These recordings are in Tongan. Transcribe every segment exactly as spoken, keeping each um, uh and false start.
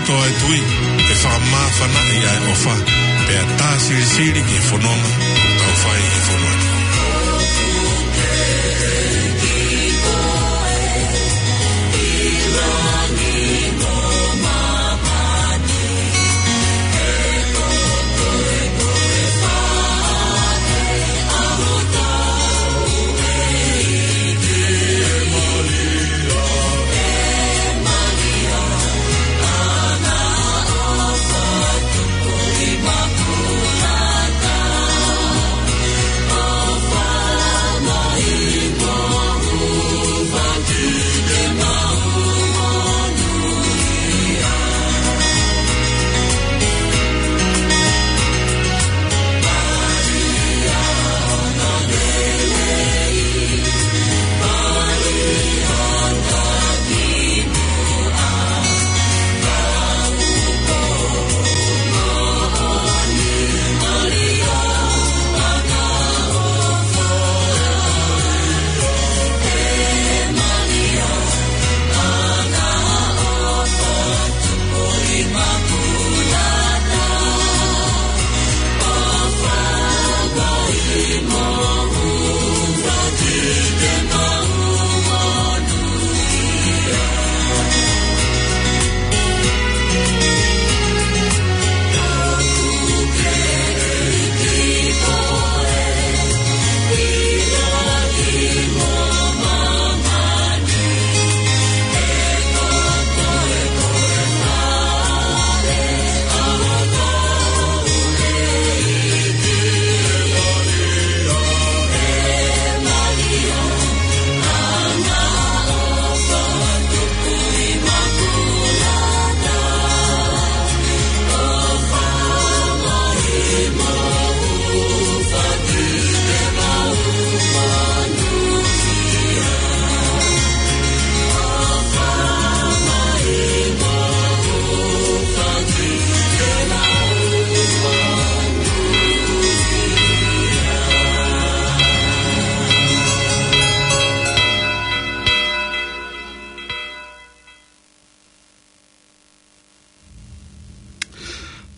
Toa e tui, ke fakamāfanaʻi ʻa e ʻofa, pea tā silisili ki he fononga ʻoku tau fai ʻi he fonua ni.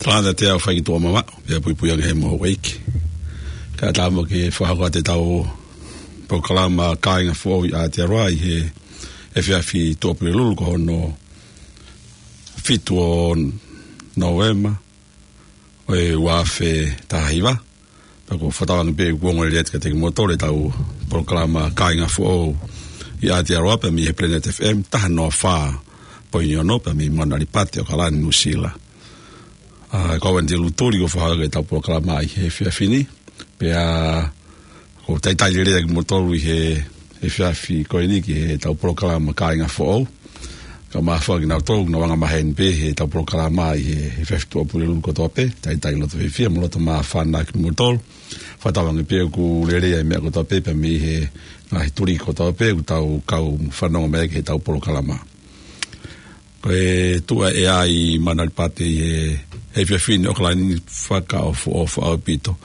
Talata te au fai ki tuʻa mama, pea puipui ange he moho ʻeiki. Ka tama ke fakahoko atu ʻetau polokalama Kāinga Foʻou ʻi Aotearoa ʻi he efiafi Tuʻapulelulu ko hono fitu ʻo Nōvema ʻo e ua afe taha hiva. Pea ʻoku ou fakatauange pē ʻoku ongo lelei atu kiate kimoutolu ʻetau polokalama Kāinga Foʻou ʻi Aotearoa pea mei he Planet F M, taha noa fā poini ono pea mei Mauna Lipati, ʻAokalani, Nuʻusila. ʻA, ko au Andy Lutuli ʻoku fakahoko ʻetau polokalama ʻi he efiafi ni. Pea ʻoku ou talitali lelei atu kimoutolu ʻi he efiafi ko eni ki heʻetau polokalama Kāinga Foʻou. Ka mafoa kinautolu ʻoku nau anga maheni pē heʻetau polokalama ʻi he efiafi Tuʻapulelulu kotoa pē, talitali loto fiefia mo loto māfana kimoutolu. Fakatauange pē ʻoku lelei ʻa e meʻa kotoa pē pea mei he ngaahi tuliki kotoa pē ʻoku tau kau fanongo mai ki heʻetau polokalama. Ko e tuʻa ʻea ʻi Mauna Lipati ʻi he, he efiafi ni ʻAokalani, fakaʻofoʻofa ʻaupito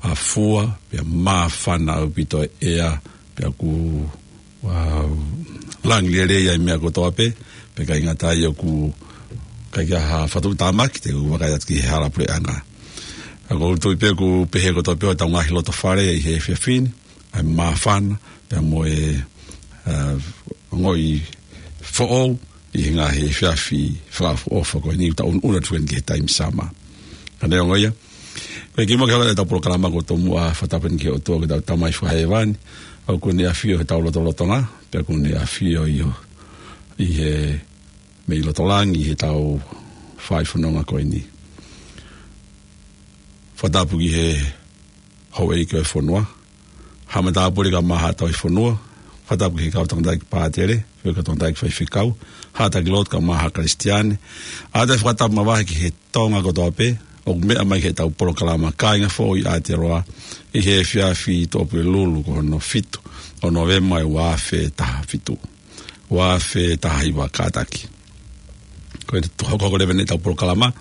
ʻa e fua, pea māfana ʻaupito e ʻea, pea ʻoku, ʻa, langi lelei ʻa e meʻa kotoa pē, pea ʻikai ngata ai ʻoku ʻikai ke ʻi ai ha fatu tāmaki, te u vakai atu ki he hala puleʻanga. Ka ʻoku ou tui pē ʻoku pehē kotoa pē hotau ngaahi loto fale ʻi he efiafi ni, ʻa e māfana, pea mo e, ʻa, ongoʻi foʻou ʻi he ngaahi efiafi fakaʻofoʻofa ko eni ʻoku tau ʻunuʻunu atu ki he taimi sama. Ka neongo ia, ko e kimuʻa ke hoko atu ʻetau polokalama, ʻoku ou tomuʻa fakatapu eni ki he ʻOtua ko hotau Tamai Fakahēvani, ʻoku ne ʻafio heʻetau lotolotonga, pea ʻoku ne ʻafio ʻi ho-, ʻi he mei loto langi ʻi heʻetau fai fononga ko eni. Fakatapu ki he houʻeiki ʻo e fonua, haʻa matāpule kae ʻumaʻā haʻa tauhi fonua, fakatapu ki he kau tangataʻeiki pātele, ki he kau tangataʻeiki faifekau, haʻa taki lotu kae ʻumaʻā haʻa Kalisitiane, ʻa e fakatapu makehe ki he Tonga kotoa pē ʻoku meʻa mai ki heʻetau polokalama Kāinga Foʻou ʻi Aotearoa ʻi he efiafi Tuʻapulelulu ko hono fitu ʻo Nōvema ʻo e ua afe taha fitu. Ua afe taha hiva kātaki. Ko e hokohoko leva eni ʻetau polokalama.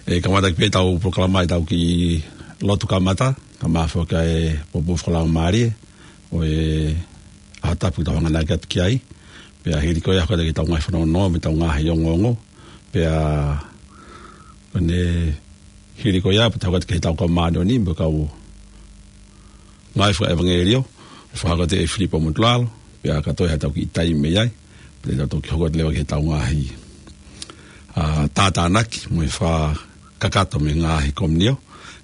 ʻE kamata ki pē ʻetau polokalama ʻetau kiʻi lotu kamata, kae ʻumaʻā foki ʻa e poupou fakalaumālie ʻo e ʻaho tapu ʻoku tau hanganaki atu ki ai. Pea hili ko ia hoko atu ki heʻetau ngaahi fanongonongo mo ʻetau ngaahi ongoongo. Pea, ʻo ne hili ko ia, pea tau hoko atu ki he tau kau māʻoniʻoni, mo e kau ngāue fakaʻevangeliō, ʻe fakahoko atu ʻe Filipo Motulalo, pea ka toe ha tau kiʻi taimi mei ai, pea tau toki hoko atu leva ki he tau ngaahi, ʻa, tātānaki, mo e fakakakato mei he ngaahi komiunio,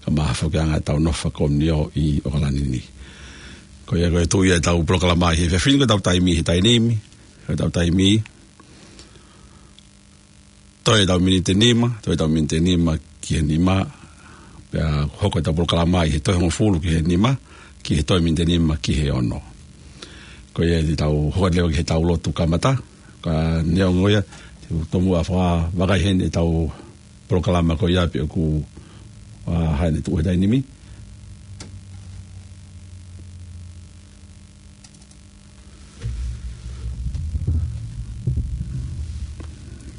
kae ʻumaʻā foki ʻa e ngaahi tau nofo fakakomiunio ʻi ʻOkalani ni. Ko ia ko e tuʻu ia ʻetau polokalama ʻi he efiafi ni, ko e tau taimi he taimi ni, ko e tau taimi, toe ʻetau miniti ʻe nima, toe ʻetau miniti ʻe nima ki he nima, pea hoko ʻetau polokalama ʻi he toe hongofulu ki he nima, ki he toe miniti ʻe nima ki he ono. Ko ia te tau hoko leva ki he tau lotu kamata, ka neongo ia, te u tomuʻa fakavakai heni ʻetau polokalama ko ia pea ʻoku, ʻa, hangē ne tuʻu he taimi ni.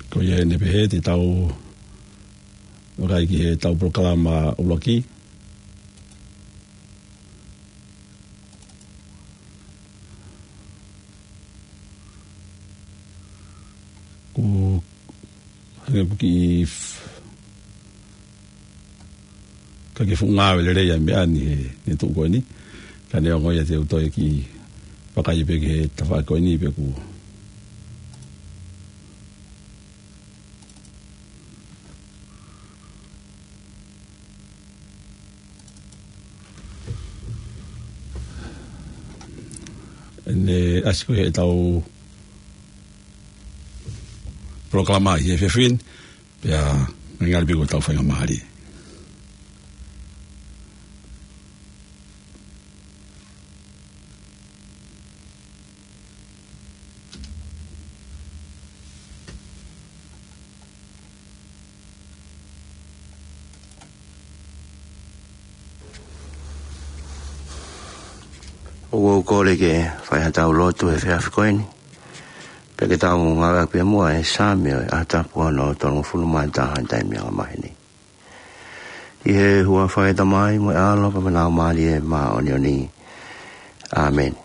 Ko ia ʻeni pē he te tau vakai ki he tau polokalama ʻuluaki. Ko hangē ʻoku kiʻi f-, ka ke fuʻu ngāue lelei ʻa e meʻa ni he, he tuʻu ko eni. Ka neongo ia te u toe kiʻi vakai pē ki he tafaʻaki ko eni pea ʻoku ʻEne ʻasi ko ē ʻetau polokalama ʻi he efiafi ni, pea ngali piko tau faingamālie. ʻOku ou kole ke fai ha tau lotu he efiafi ko eni. Pea ke tau ngāueʻaki pē muʻa e Saame ʻo e ʻaho tapu hono tolungofulu mā taha ʻo e taimi anga maheni. ʻI he huafa ʻo e Tamai mo e ʻAlo pea mo e Laumālie Māʻoniʻoni. ʻĀmeni.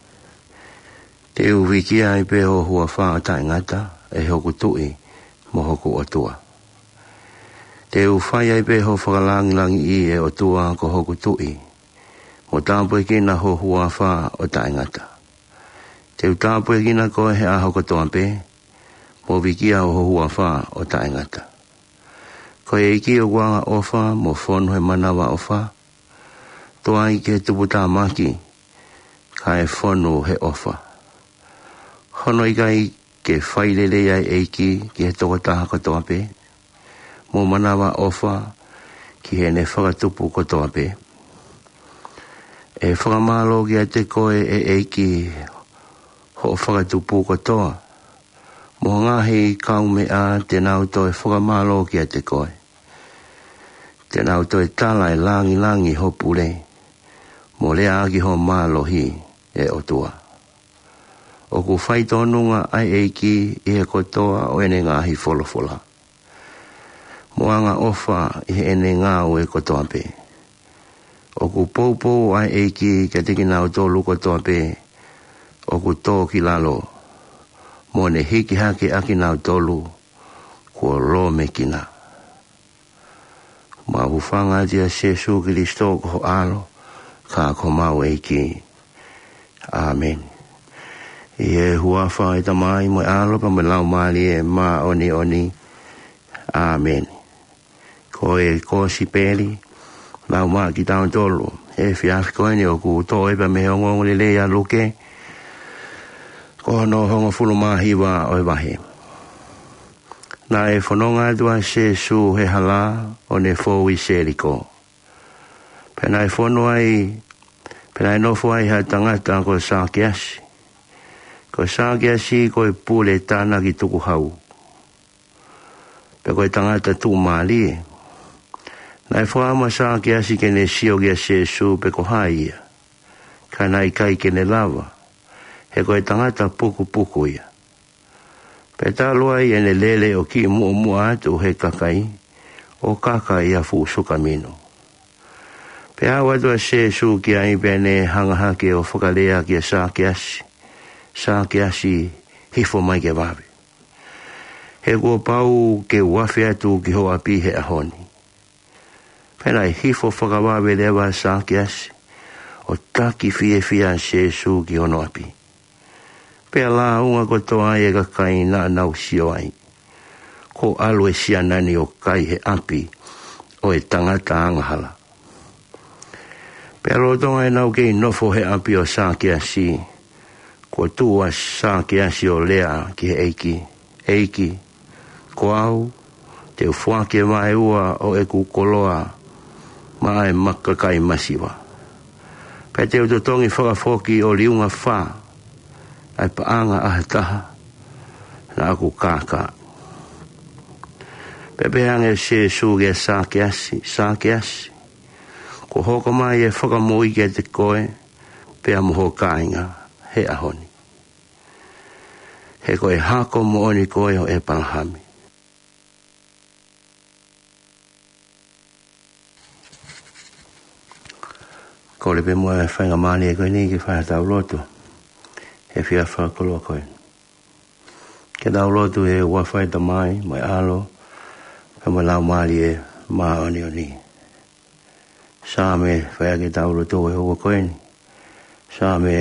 Te u vīkia ai pē ho huafa ʻo taʻengata, ʻe hoku Tuʻi mo hoku ʻOtua. Te u fai ai pē ho fakalangilangiʻi, ʻe ʻOtua ko hoku Tuʻi, mo tāpuekina ho huafa ʻo taʻengata. Te u tāpuekina koe he ʻaho kotoa pē, mo vīkia ho huafa ʻo taʻengata. Ko e ʻEiki ʻoku angaʻofa mo fonu he manavaʻofa, tuai ki he tuputāmaki, kae fonu he ʻofa. Hono ʻikai ke fai lelei ʻa e ʻEiki ki he tokotaha kotoa pē, mo manavaʻofa ki heʻene fakatupu kotoa pē? ʻE fakamālō kiate koe, ʻe ʻEiki, hoʻo fakatupu kotoa, mo e ngaahi kaumeʻa te nau toe fakamālō kiate koe. Te nau toe tala e langilangi ho pule, mo leaʻaki ho mālohi, ʻe ʻOtua. ʻOku faitōnunga ʻa e ʻEiki ʻi he kotoa ʻo ʻene ngaahi folofola, mo angaʻofa ʻi heʻene ngāue kotoa pē. ʻOku poupou ʻa e ʻEiki kiate kinautolu kotoa pē ʻoku tō ki lalo, mo ne hiki hake ʻa kinautolu kuo lōmekina. Mau hūfanga atu ʻia Sīsū Kalaisi ko ho ʻAlo, ka ko homau ʻEiki. ʻĀmeni. ʻI he huafa ʻo e Tamai mo e ʻAlo pea mo e Laumālie Māʻoniʻoni. ʻĀmeni. Ko e Kosipeli naʻe lau maʻa kitautolu he efiafi ko eni ʻoku toʻo ia pea mei he ongoongolelei ʻa Luke, ko hono hongofulu mā hiva ʻo e vahe. Naʻe fononga atu ʻa Sīsū he hala ʻo ne fou ʻi Seliko. Pea naʻe fonu ai, pea naʻe nofo ai ha tangata ko Sākeasi. Ko Sākeasi ko e pule tānaki tukuhau, pea ko e tangata tuʻumālie. Naʻe fakaʻamu ʻa Sākeasi ke ne sio kia Sīsū pe ko hai ia, ka naʻe ʻikai ke ne lava, he ko e tangata pukupuku ia. Pea talu ai ʻene lele ʻo kiʻi muʻomuʻa atu he kakai, ʻo kaka ʻi ha fuʻu sukaminu. Pea aʻu atu ʻa Sīsū ki ai pea ne hanga hake ʻo fakalea kia Sākeasi, Sākeasi, hifo mai ke vave. He kuo pau ke u afe atu ki ho ʻapi he ʻaho ni. Pea naʻe hifo fakavave leva ʻa Sakeasi, ʻo taki fiefia ʻa Sēsū ki hono ʻapi. Pea lāunga kotoa ai e kakai naʻa nau sio ai, kuo ʻalu e siana ni ʻo kai he ʻapi ʻo e tangata angahala. Pea lolotonga ʻenau kei nofo he ʻapi ʻo Sakeasi, kuo tuʻu ʻa Sakeasi ʻo lea ki he ʻEiki, ʻEiki, ko au, te u foaki e vaeua ʻo ʻeku koloa maʻa e maka kai masiva. Pea te u totongi fakafoki ʻo liunga fā ʻa e paʻanga ʻa ha taha naʻa ku kākaaʻi. Pea pehē ange ʻe Sēsū kia Sakeasi, Sakeasi, kuo hoko mai e fakamoʻui kiate koe, pea mo ho kāinga he ʻaho ni. He ko e hako moʻoni koe ʻo ʻEpalahame. Kole pē muʻa e faingamālie ko eni ke fai haʻatau lotu he efiafi fakalotolahi ko eni. Ke tau lotu. ʻI he huafa ʻo e Tamai, mo e ʻAlo, pea mo e Laumālie Māʻoniʻoni. Saame, fai ʻaki ʻetau lotu he houa ko eni. Saame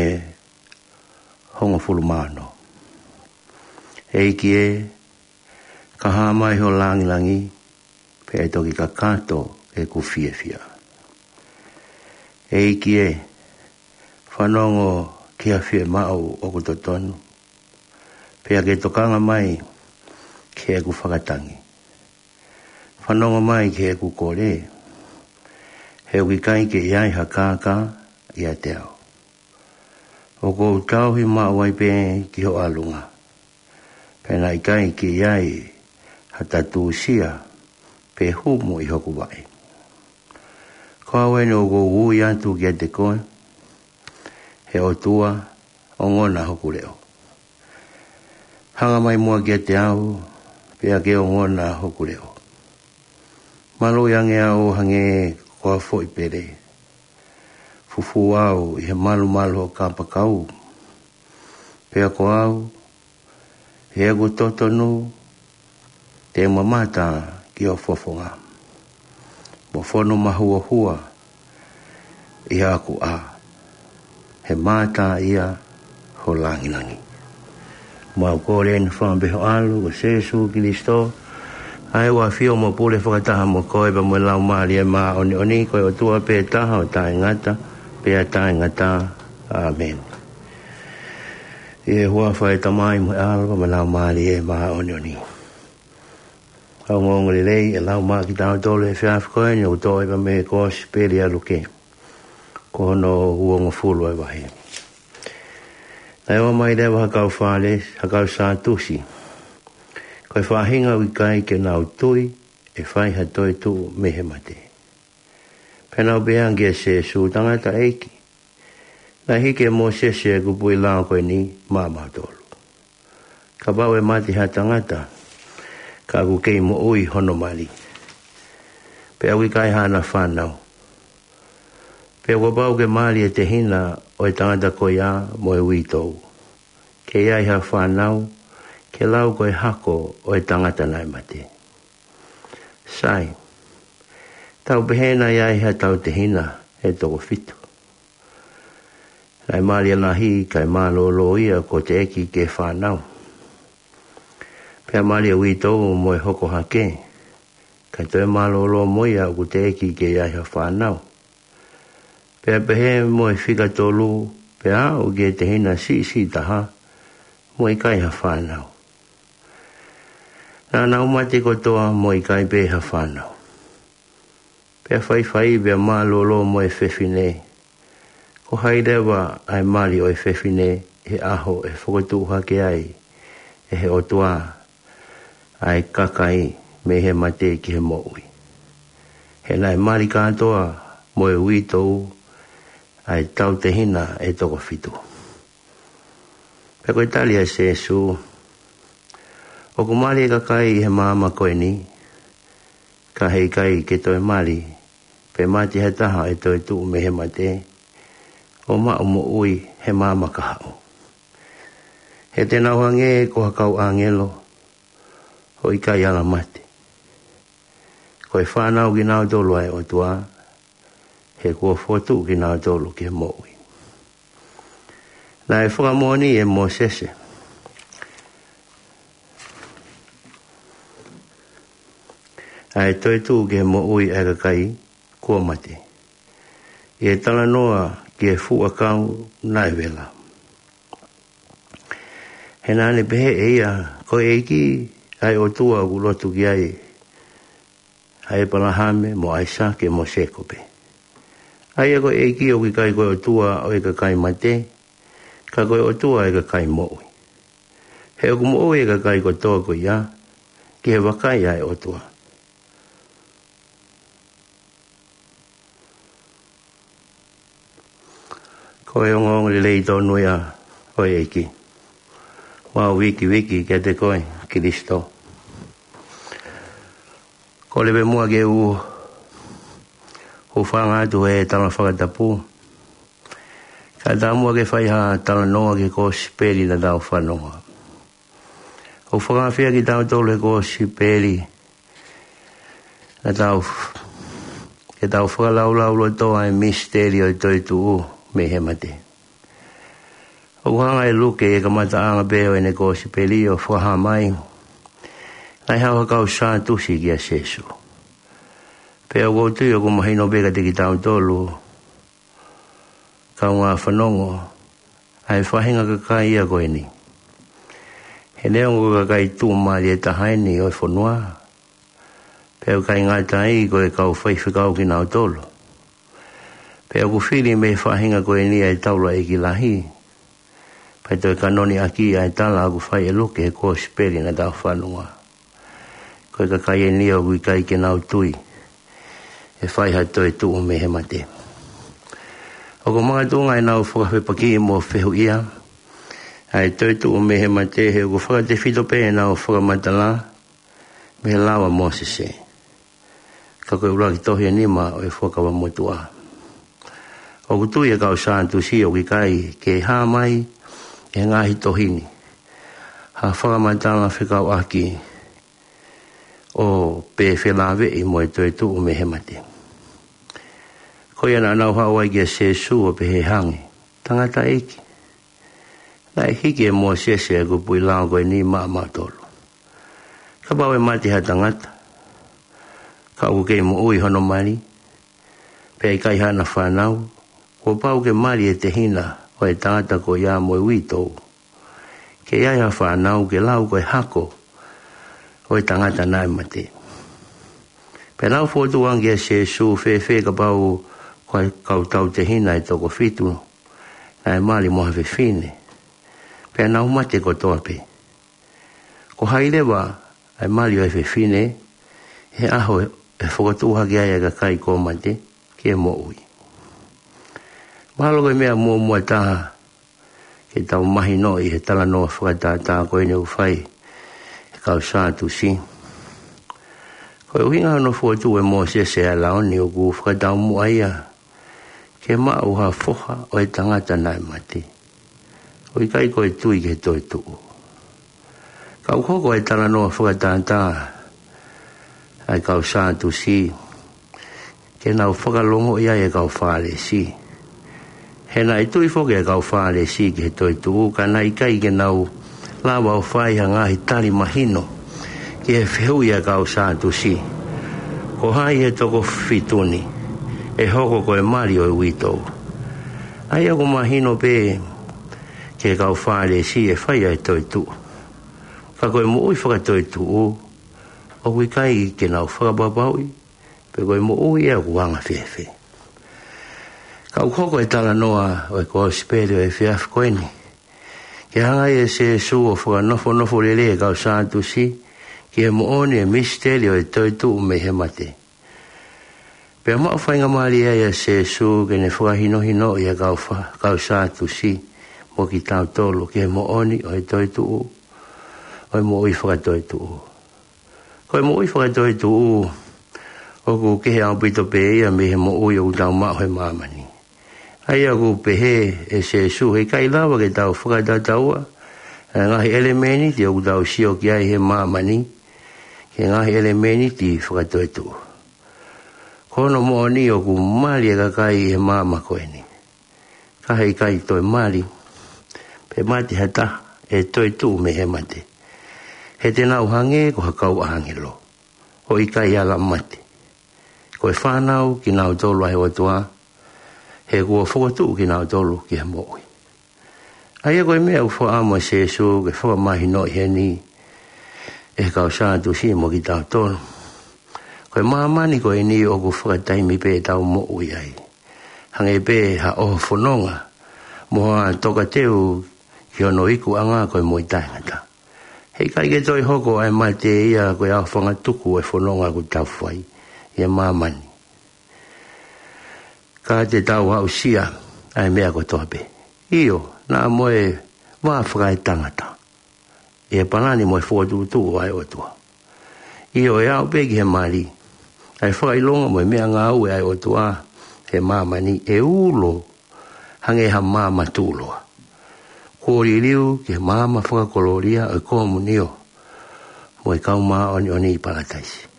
hongofulu mā ono. ʻEiki ē, ka hā mai ho langilangi, pea ʻe toki kakato ʻeku fiefia. ʻEiki ē, fanongo ki ha fiemaʻu ʻoku totonu, pea ke tokanga mai ki heʻeku fakatangi. Fanongo mai ki heʻeku kole, he ʻoku ʻikai ke ʻi ai ha kākā ʻiate au. ʻOku ou tauhi maʻu ai pē ki ho ʻalunga, pea naʻe ʻikai ke ʻi ai ha tatūsia pe humu ʻi hoku vaʻe. Ko au eni ʻoku ou ui atu kiate koe, he ʻOtua, ongona hoku leʻo. Hanga mai muʻa kiate au, pea ke ongona hoku leʻo. Maluʻi ange au ʻo hangē ko ha foʻi pele. Fufū au ʻi he malumalu ʻo e kapakau. Pea ko au, ʻi heʻeku totonu, te u mamata ki ho fofonga, mo fonu mahuohua ʻi haʻaku ʻā, he mātā ia ho langilangi. Mau kole eni ʻi he huafa ʻo ho ʻAlo ko Sēsū Kalaisi, ʻa ia ʻoku ʻafio mo pule fakataha mo koe pea mo e Laumālie Māʻoniʻoni, ko e ʻOtua pē taha ʻo taʻengata pea taʻengata. ʻĀmeni. ʻI he huafa ʻo e Tamai mo e ʻAlo pea mo e Laumālie Māʻoniʻoni. Kau ongoongolelei, ʻe lau mai kiate kitautolu he efiafi ko eni ʻoku toʻo ia mei he Kosipeli ʻa Luke, ko hono uongofulu ʻo e vahe. Naʻe ō mai leva ha kau Fālesi, ha kau Sātusi, ko e faʻahinga ʻoku ʻikai ke nau tui ʻe fai ha toetuʻu mei he mate. Pea nau pehē ange kia Sēsū, Tangataʻeiki, naʻe hiki ʻe Mōsese ʻa e kupuʻi lao ko eni maʻamautolu, kapau ʻe mate ha tangata, ka ʻoku kei moʻui hono mali, pea ʻoku ʻikai haʻana fānau, pea kuo pau ke mali e tehina ʻo e tangata ko ia mo e uitou, ke ʻi ai ha fānau, ke lau ko e hako ʻo e tangata naʻe mate. Sai, tau pehē naʻe ʻi ai haʻatau tehina ʻe toko fitu. Naʻe mali ʻa e lahi, kae mālōlō ia kuo teʻeki ke fānau. Pea mali ʻa e uitou mo e hoko hake, kae toe mālōlō mo ia ʻoku teʻeki ke ʻi ai ha fānau. Pea pehē mo e fika tolu, pea aʻu ki he tehina siʻisiʻi taha, mo e ʻikai ha fānau. Naʻa nau mate kotoa mo e ʻikai pē ha fānau. Pea faifai pea mālōlō mo e fefine, ko hai leva ʻa e mali ʻo e fefine ʻi he ʻaho ʻe fokotuʻu hake ai ʻe he ʻOtua ʻa e kakai mei he mate ki he moʻui? He naʻe mali kātoa mo e uitou ʻa e tau tehina ʻe toko fitu. Pea ko e tali ʻa Sēsū, ʻoku mali e kakai ʻi he maama ko eni, ka he ʻikai ke toe mali, pe mate ha taha ʻe toetuʻu mei he mate, ʻo maʻu moʻui he maama kahaʻu. He te nau hangē ko ha kau ʻāngelo, ʻo ʻikai ala mate. Ko e fānau kinautolu ʻa e ʻOtua, he kuo fokotuʻu kinautolu ke moʻui. Naʻe fakamoʻoni ʻe Mōsese ʻa e toetuʻu ke moʻui ʻa e kakai kuo mate, ʻi he talanoa ki he fuʻu ʻakau naʻe vela. He naʻa ne pehē ʻe ia, ko e ʻEiki ʻa e ʻOtua ʻoku lotu ki ai ʻa ʻĒpalahame mo ʻAisake mo Sēkope. ʻA ia ko e ʻEiki ʻoku ʻikai ko e ʻOtua ʻo e kakai mate, ka ko e ʻOtua ʻo e kakai moʻui. He ʻoku moʻui e kakai kotoa ko ia, ki he vakai ʻa e ʻOtua. Ko e ongoongo lelei tonu ia ʻo e ʻEiki. Mau vikiviki kiate koe, Kilisitō. Kole pē muʻa ke u hūfanga atu he tala fakatapu, kae ʻatā muʻa ke fai ha talanoa ki he kosipeli naʻa tau fanongoa. ʻOku fakaafeʻi kitautolu ʻe he kosipeli naʻa tau, ke tau fakalaulauloto ʻa e misiteli ʻo e toetuʻu mei he mate. ʻOku hanga ʻe Luke ʻi he kamataʻanga pē ʻo ʻene kosipeli ʻo fakahā mai naʻe haʻu ha kau Sātusi kia Sēsū. Pea ʻoku ou tui ʻoku mahino pē kiate kitautolu, kaungā fanongo, ʻa e faʻahinga kakai ia ko eni. He neongo ko e kakai tuʻumālie taha eni ʻo e fonua, pea ʻoku ʻikai ngata ai, ko e kau faifekau kinautolu. Pea ʻoku fili mei he faʻahinga ko eni ʻa e taulaʻeiki lahi, pea toe kanoni ʻaki ʻa e tala ʻoku fai ʻe Luke he kosipeli naʻa tau fanongoa. Ko e kakai eni ʻoku ʻikai ke nau tui ʻe fai ha toetuʻu mei he mate. ʻOku makatuʻunga ʻenau fakafepakiʻi mo fehuʻia ʻa e toetuʻu mei he mate, he ʻoku fakatefito pē ʻenau fakamatala mei he lao ʻa Mōsese, ka ko e ʻuluaki tohi ʻe nima ʻo e Fuakava Motuʻa. ʻOku tui ʻa e kau Sātusi ʻoku ʻikai ke hā mai ʻi he ngaahi tohi ni ha fakamatala fekauʻaki ʻo pē felāveʻi mo e toetuʻu mei he mate. Ko ia naʻa nau haʻu ai kia Sēsū ʻo pehē hangē, Tangataʻeiki, naʻe hiki ʻe Mōsese ʻa e kupuʻi lao ko eni maʻamautolu. Kapau ʻe mate ha tangata, ka ʻoku kei moʻui hono mali, pea ʻikai haʻana fānau, kuo pau ke mali e tehina ʻo e tangata ko ia mo e uitou, ke ʻi ai ha fānau ke lau ko e hako ʻo e tangata naʻe mate. Pea nau fokotuʻu ange kia Sēsū, Fēfē kapau ko e kau tautehina ʻe toko fitu naʻe mali mo ha fefine, pea nau mate kotoa pē? Ko hai leva ʻa e mali ʻo e fefine he ʻaho ʻe fokotuʻu hake ai ʻa e kakai kuo mate ki he moʻui? Mahalo ko e meʻa muʻomuʻa taha ke tau mahinoʻi he talanoa fakatātā ko eni ʻoku fai ʻe he kau Sātusi, ko e ʻuhinga hono fokotuʻu ʻe Mōsese ʻa e lao ni ʻoku fakataumuʻa ia ke maʻu ha foha ʻo e tangata naʻe mate, ʻoku ʻikai ko e tui ki he toetuʻu. Ka ʻoku hoko e talanoa fakatātā ʻa e kau Sātusi ke nau fakalongoʻi ai e kau Fālesi. He naʻe tui foki e kau Fālesi ki he toetuʻu, ka naʻe ʻikai ke nau lava ʻo fai ha ngaahi tali mahino ki he fehuʻi ʻa e kau Sātusi, ko hai he toko fitu ni ʻe hoko ko e mali ʻo e uitou? ʻA ia ʻoku mahino pē ki he kau Fālesi e fai ʻa e toetuʻu, ka ko e moʻui fakatoetuʻu ʻoku ʻikai ke nau fakapapauʻi pe ko e moʻui ia ʻoku anga fēfē. Ka ʻoku hoko e talanoa ʻo e kosipeli ʻo e efiafi ko eni ke hanga ai ʻe Sēsū ʻo fakanofonofo lelei e kau Sātusi ki he moʻoni e misiteli ʻo e toetuʻu mei he mate. Pea maʻu faingamālie ai ʻa Sēsū ke ne fakahinohinoʻi ʻa e kau fa-, kau Sātusi mo kitautolu ki he moʻoni ʻo e toetuʻu, ʻo e moʻui fakatoetuʻu. Ko e moʻui fakatoetuʻu ʻoku kehe ʻaupito pē ia mei he moʻui ʻoku tau maʻu he māmani. ʻA ia ʻoku pehē ʻe Sēsū, he ʻikai lava ke tau fakatatau ʻa e ngaahi ʻelemēniti ʻoku tau sio ki ai he māmani ki he ngaahi ʻelemēniti fakatoetuʻu. Ko hono moʻoni ʻoku mali e kakai ʻi he maama ko eni, ka heʻikai toe mali pe mate ha taha ʻe toetuʻu mei he mate, he te nau hangē ko ha kau ʻāngelo, ʻo ʻikai ala mate. Ko e fānau kinautolu ʻa e ʻOtua, he kuo fokotuʻu kinautolu ki he moʻui. ʻA ia ko e meʻa ʻoku fakaʻamu ʻa Sēsū ke fakamahinoʻi heni ʻe he kau Sātusi mo kitautolu, ko e māmani ko eni ʻoku fakataimi pē ʻetau moʻui ai, hangē pē ha ʻoho fononga mo ha tokateu ki hono ikuʻanga ko e moʻui taʻengata. Heʻikai ke toe hoko ʻa e mate ia ko e aofangatuku ʻo e fononga ʻoku tau fai ʻi he māmani, ka te tau aʻusia ʻa e meʻa kotoa pē, ʻio, naʻa mo e vā fakaetangata, ʻi he palani mo e fokotuʻutuʻu ʻa e ʻOtua. ʻIo, ʻe aʻu pē ki he mali, ʻa e fakaʻilonga mo e meʻangāue ʻa e ʻOtua he māmani ʻe ulo hangē ha maama tuʻuloa, kuo liliu ki he maama fakakolōlia ʻo e komunio mo e kau māʻoniʻoni ʻi Palataisi.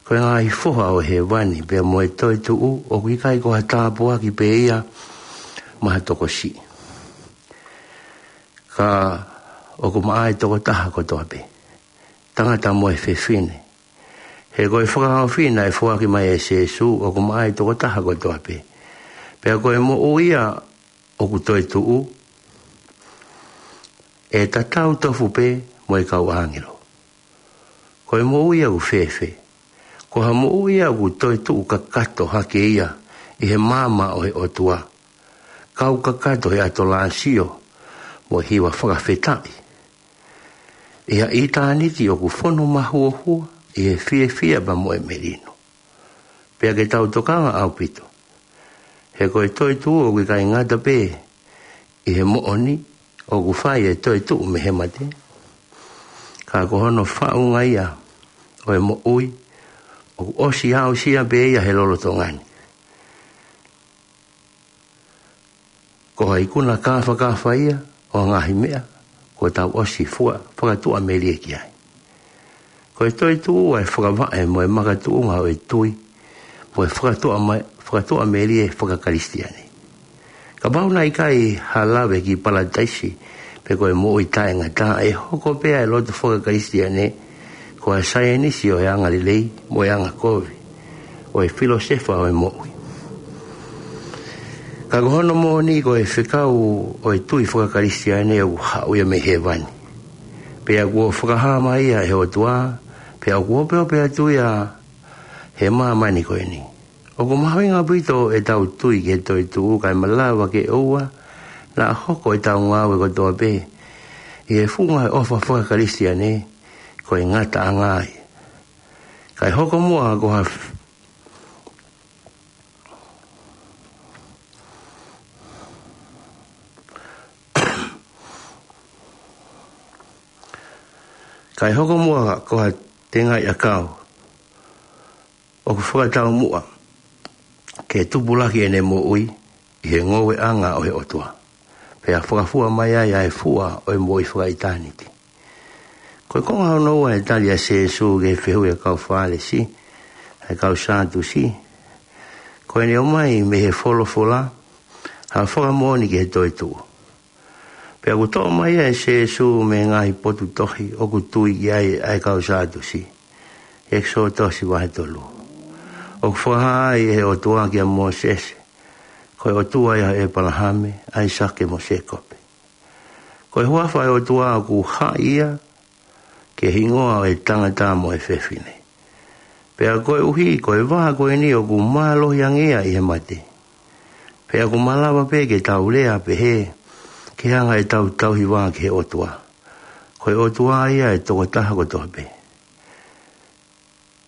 Ko e ngaahi foha ʻo hēvani pea mo e toetuʻu ʻoku ʻikai ko ha tāpuaki pē ia maʻa ha tokosiʻi, ka ʻoku maʻa e tokotaha kotoa pē, tangata mo e fefine. He ko e fakahaofi naʻe foaki mai ʻe Sēsū ʻoku maʻa e tokotaha kotoa pē, pea ko e moʻui ia ʻoku toetuʻu ʻe tatau tofu pē mo e kau ʻāngelo. Ko e moʻui ia ʻoku fēfē? Ko ha moʻui ia ʻoku toetuʻu kakato hake ia ʻi he maama ʻo e ʻOtua, kau kakato he ʻatolāsio mo e hiva fakafetaʻi ʻi ha ʻitāniti ʻoku fonu mahuohua ʻi he fiefia pea mo e melino. Pea ke tau tokanga ʻaupito, he ko e toetuʻu ʻoku ʻikai ngata pē ʻi he moʻoni ʻoku fai e toetuʻu mei he mate, ka ko hono faʻunga ia ʻo e moʻui ʻoku ʻosi aʻusia pē ia he lolotonga ni. Ko ha ikuna kāfakafa ia ʻo e ngaahi meʻa kuo tau ʻosi fua fakatuʻamelie ki ai. Ko e toetuʻu ʻa e fakavaʻe mo e makatuʻunga ʻo e tui mo e fakatuʻa ma-, fakatuʻamelie fakakalisitiane. Kapau naʻe ʻikai ha lave ki Palataisi pe ko e moʻui taʻengata, ʻe hoko pē ʻa e lotu fakakalisitiane ko ha saienisi ʻo e angalelei mo e angakovi, ʻo e filōsefa ʻo e moʻui. Ka ko hono moʻoni ko e fekau ʻo e tui fakakalisitiane ʻoku haʻu ia mei hēvani, pea kuo fakahā mai ia ʻe he ʻOtua, pea ʻoku opeope atu ia he māmani ko eni. ʻOku mahuʻinga ʻaupito ʻetau tui ki he toetuʻu, kae malava ke ʻoua naʻa hoko ʻetau ngāue kotoa pē ʻi he funga ʻo e ʻofa fakakalisitiane ko e ngataʻanga ia, kae hoko muʻa ko ha f-, kae hoko muʻa ko ha tengaʻi ʻakau ʻoku fakataumuʻa ke tupulaki ʻene moʻui ʻi he ngoueʻanga ʻo e ʻOtua, pea fakafua mai ai ʻa e fua ʻo e moʻui fakaʻitāniti. Ko e konga hono ua ʻo e tali ʻa Sēsū ki he fehuʻi ʻa e kau Fālesi, ʻa e kau Sātusi, ko ʻene ʻomai mei he folofola ha fakamoʻoni ki he toetuʻu. Pea ʻoku toʻo mai ʻe Sēsū mei he ngaahi potu tohi ʻoku tui ki ai ʻa e kau Sātusi. ʻEkisoto vahe tolu. ʻOku fakahā ai ʻe he ʻOtua kia Mōsese, ko e ʻOtua ia ʻo ʻĒpalahame, ʻAisake mo Sēkope. Ko e huafa ʻo e ʻOtua ʻoku haʻi ia ki he hingoa ʻo e tangata mo e fefine. Pea koeʻuhi ko e vā ko eni ʻoku mālohi ange ia ʻi he mate, pea ʻoku malava pē ke tau lea pehē ke hanga ʻetau tauhi vā ki he ʻOtua. Ko e ʻOtua ia ʻo e tokotaha kotoa pē.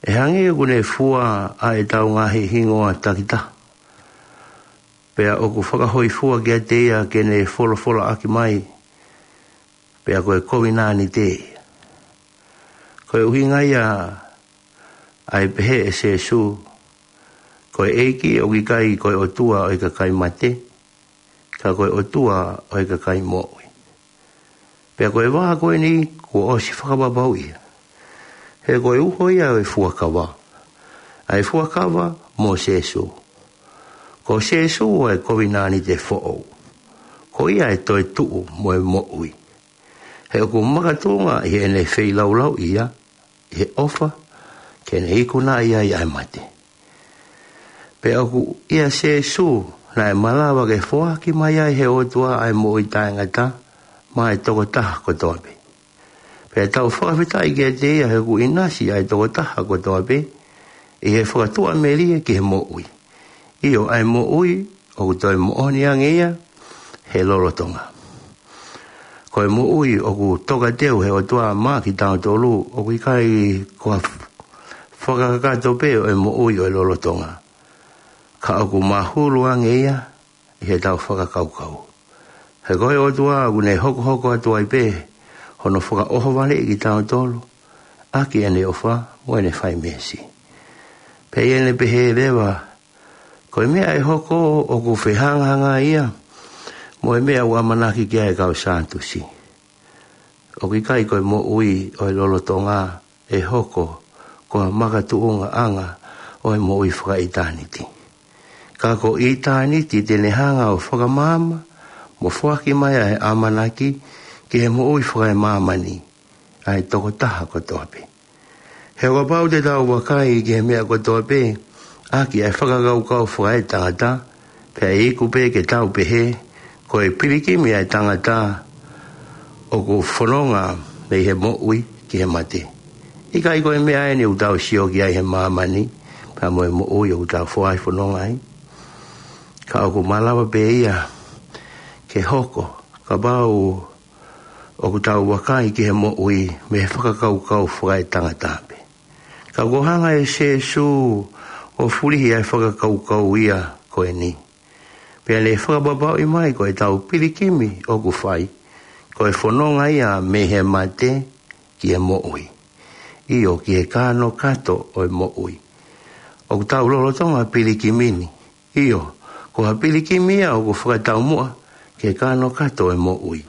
ʻE hangē ʻoku ne fua ʻa ʻetau ngaahi hingoa takitaha, pea ʻoku fakahōifua kiate ia ke ne folofolaʻaki mai, pea ko e kovinānite ia. Ko e ʻuhinga ia ʻa e pehē ʻe Sēsū, ko e ʻEiki ʻoku ʻikai ko e ʻOtua ʻo e kakai mate, ka ko e ʻOtua ʻo e kakai moʻui. Pea ko e vā ko eni kuo ʻosi fakapapauʻi ia, He ko e uho ia ʻo e fuakava, ʻa e fuakava mo Sēsū. Ko Sēsū ʻa e kovinānite foʻou. Ko ia ʻa e toetuʻu mo e moʻui. He ʻoku makatuʻunga ʻi heʻene feilaulauʻi ia ʻi he ʻofa, ke ne ikunaʻi ai ʻa e mate. Pea ʻoku ʻia Sēsū naʻe malava ke foaki mai ai ʻe he ʻOtua ʻa e moʻui taʻengata maʻa e tokotaha kotoa pē. Pea tau fakafetaʻi kiate ia he ʻoku ʻinasi ʻa e tokotaha kotoa pē ʻi he fakatuʻamelie ki he moʻui. ʻIo, ʻa e moʻui ʻoku toe moʻoni ange ia he lolotonga. Ko e moʻui ʻoku tokateu ʻe he ʻOtua maʻa kitautolu ʻoku ʻikai ko ha f-, fakakakato pē ʻo e moʻui ʻo e lolotonga, ka ʻoku mahulu ange ia ʻi heʻetau fakakaukau. He ko e ʻOtua ʻoku ne hokohoko atu ai pē hono fakaʻohovaleʻi kitautolu ʻaki ʻene ʻofa mo ʻene fai meesi. Pea ʻi heʻene pehē leva, ko e meʻa ʻe hoko ʻoku fehangahangai ia mo e meʻa ʻoku ʻamanaki ki ai ʻa e kau Sātusi. ʻOku ʻikai ko e moʻui ʻo e lolotonga ʻe hoko ko ha makatuʻungaʻanga ʻo e moʻui fakaʻitāniti, ka ko ʻitāniti te ne hanga ʻo fakamaama mo foaki mai ʻa e ʻamanaki ki he moʻui fakaemāmani ʻa e tokotaha kotoa pē. He ʻo kapau te tau vakai ki he meʻa kotoa pē ʻaki ʻa e fakakaukau fakaetangata, pea ʻe iku pē ke tau pehē ko e pilikimi ʻa e tangata ʻoku fononga mei he moʻui ki he mate. ʻIkai ko e meʻa eni ʻoku tau sio ki ai he māmani, pea mo e moʻui ʻoku tau foaki fononga ai? Ka ʻoku malava pē ia ke hoko kapau ʻoku tau vakai ki he moʻui mei he fakakaukau fakaetangata pē. Ka kuo hanga ʻe Sēsū ʻo fulihi ʻa e fakakaukau ia ko eni, pea ne fakapapauʻi mai ko ʻetau pilikimi ʻoku fai, ko e fononga ia mei he mate ki he moʻui, ʻio, ki he kanokato ʻo e moʻui. ʻOku tau lolotonga pilikimi ni, ʻio, ko ha pilikimi ia ʻoku fakataumuʻa ki he kanokato ʻo e moʻui.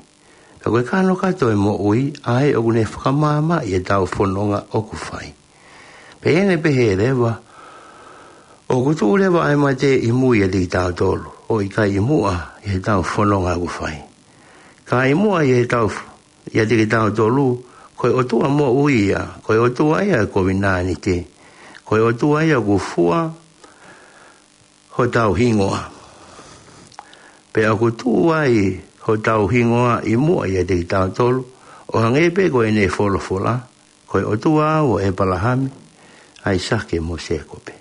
Ka ko e kanokato ʻo e moʻui ʻa ē ʻoku ne fakamaamaʻi ʻetau fononga ʻoku fai. Pea ʻi heʻene pehē leva, ʻoku tuʻu leva ʻa e mate ʻi mui ʻiate kitautolu, ʻo ʻikai ʻi muʻa ʻi heʻetau fononga ʻoku fai. Ka ʻi muʻa ʻi heʻetau f-, ʻiate kitautolu, ko e ʻOtua moʻui ia, ko e ʻOtua ia ʻo e kovinānite, ko e ʻOtua ia ʻoku fua hotau hingoa. Pea ʻoku tuʻu ai hotau hingoa ʻi muʻa ʻiate kitautolu, ʻo hangē pē ko ʻene folofola, ko e ʻOtua au ʻo ʻĒpalahame, ʻAisake mo Sēkope.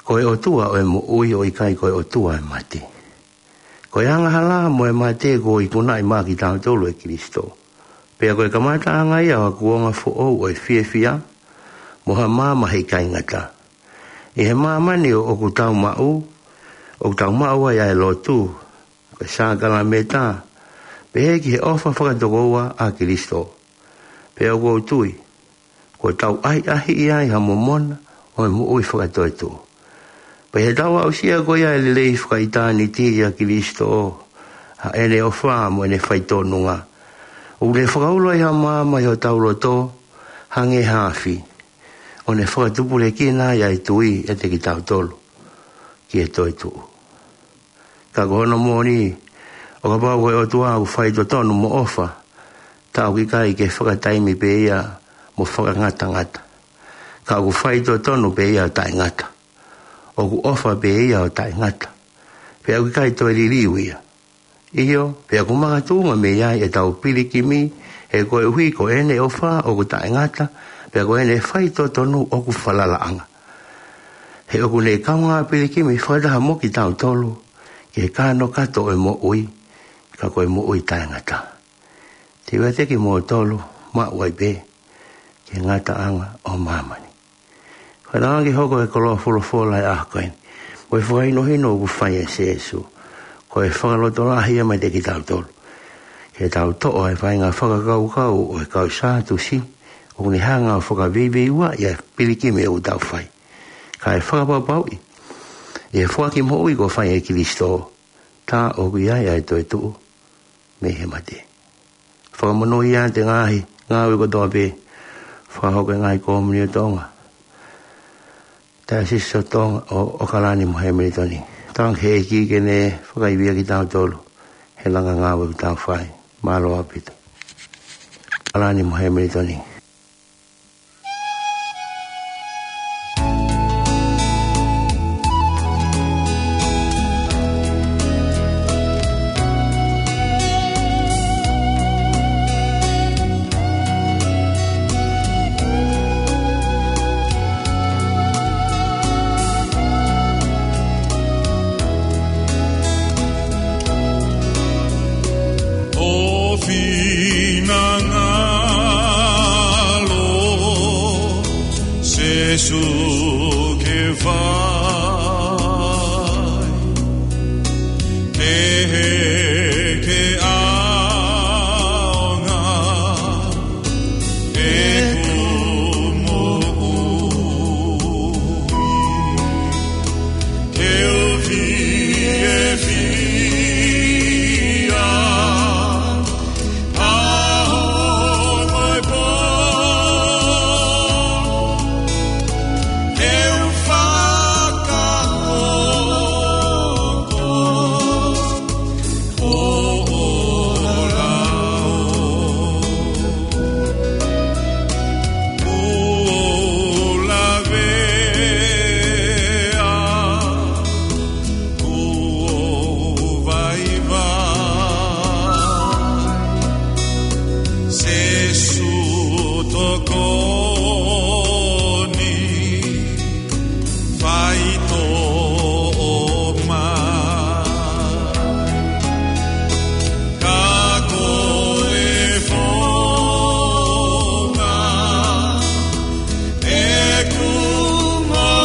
Ko e ʻOtua ʻo e moʻui ʻo ʻikai ko e ʻOtua ʻo e mate. Ko e angahala mo e mate kuo ikunaʻi maʻa kitautolu ʻe Kalaisi. Pea ko e kamataʻanga ia ʻo ha kuonga foʻou ʻo e fiefia mo ha maama he ʻikai ngata. ʻI he māmani ʻoku tau maʻu, ʻoku tau maʻu ai ʻa e lotu, ko e sākalamēniti, pehē ki he ʻofa fakatokoua ʻa Kalaisi. Pea ʻoku ou tui kuo tau ʻahiʻahiʻi ai ha momona ʻo e moʻui fakatoetuʻu. Pea ʻi heʻetau aʻusia ko ia ʻa e lelei fakaʻitāniti ʻia Kalaisi, ʻa ʻene ʻofa mo ʻene faitonunga, ʻoku ne fakaulo ai ha maama ʻi hotau loto hangē ha afi, ʻo ne fakatupulekina ai ʻa e tui ʻiate kitautolu ki he toetuʻu. Ka ko hono moʻoni, ʻo kapau ko e ʻOtua ʻoku faitotonu mo ʻofa, ta ʻoku ʻikai ke fakataimi pē ia mo fakangatangata, ka ʻoku faitotonu pē ia ʻo taʻengata. ʻOku ʻofa pē ia ʻo taʻengata, pea ʻoku ʻikai toe liliu ia. ʻIo, pea ʻoku makatuʻunga mei ai ʻetau pilikimi, he koeʻuhi ko ʻene ʻofa ʻoku taʻengata, pea ko ʻene faitotonu ʻoku falalaʻanga. He ʻoku ne kaungā pilikimi fakataha mo kitautolu ki he kanokato ʻo e moʻui, ka ko e moʻui taʻengata. Te u ʻiate kimoutolu, maʻu ai pē ki he ngataʻanga ʻo māmani. Fanongo ki he hoko ʻa e koloa folofola ʻo e ʻaho ko eni, mo e fakahinohino ʻoku fai ʻe Sēsū, ko e fakalotolahi ia maʻa kitautolu. Ke tau toʻo ʻa e faʻahinga fakakaukau ʻo e kau Sātusi, ʻoku ne hanga ʻo fakaveiveiuaʻi ʻa e pilikimi ʻoku tau fai, kae fakapapauʻi ʻi he foaki moʻui kuo fai ʻe Kalaisi, ta ʻoku ʻi ai ʻa e toetuʻu mei he mate. Fakamonūʻia ʻa e ngaahi ngāue kotoa pē Fakahoko e ngaahi kōmuni ʻo Tonga, Taiosisi ʻo Tonga, ʻo ʻAokalani mo Hemilitoni. Tauange ki he ʻEiki ke ne fakaivia kitautolu he langa ngāue ʻoku tau fai. Mālō ʻaupito. ʻAokalani mo Hemilitoni. ʻO finangalo Sīsū ke fai kehe ke ʻaonga ʻeku moʻui. Ke u fiefia ʻaho mo e pō, ke u fakahoko ʻo ʻola ʻo ʻo lavea, ʻo vaivai. Sīsū tokoni, faitoʻo mai. Ka ko e founga ʻeku moʻui,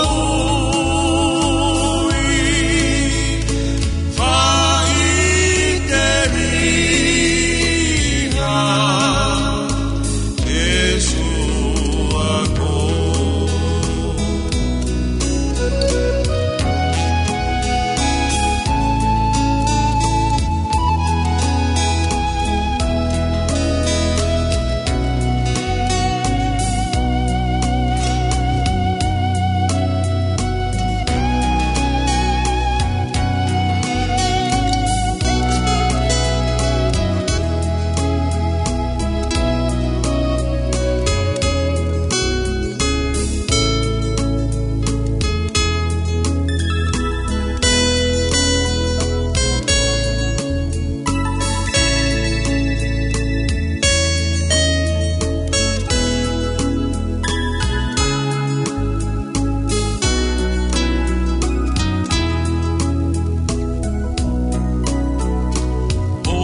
faʻiteliha Sīsū ako. ʻO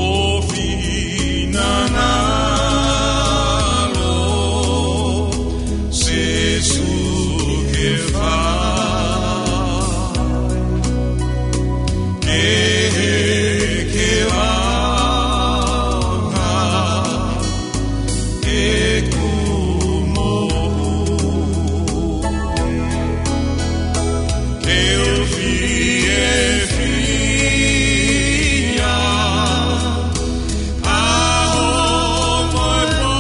finangalo Sīsū ke fai kehe ke ʻaonga ʻeku moʻui. Ke u fiefia ʻaho mo e pō,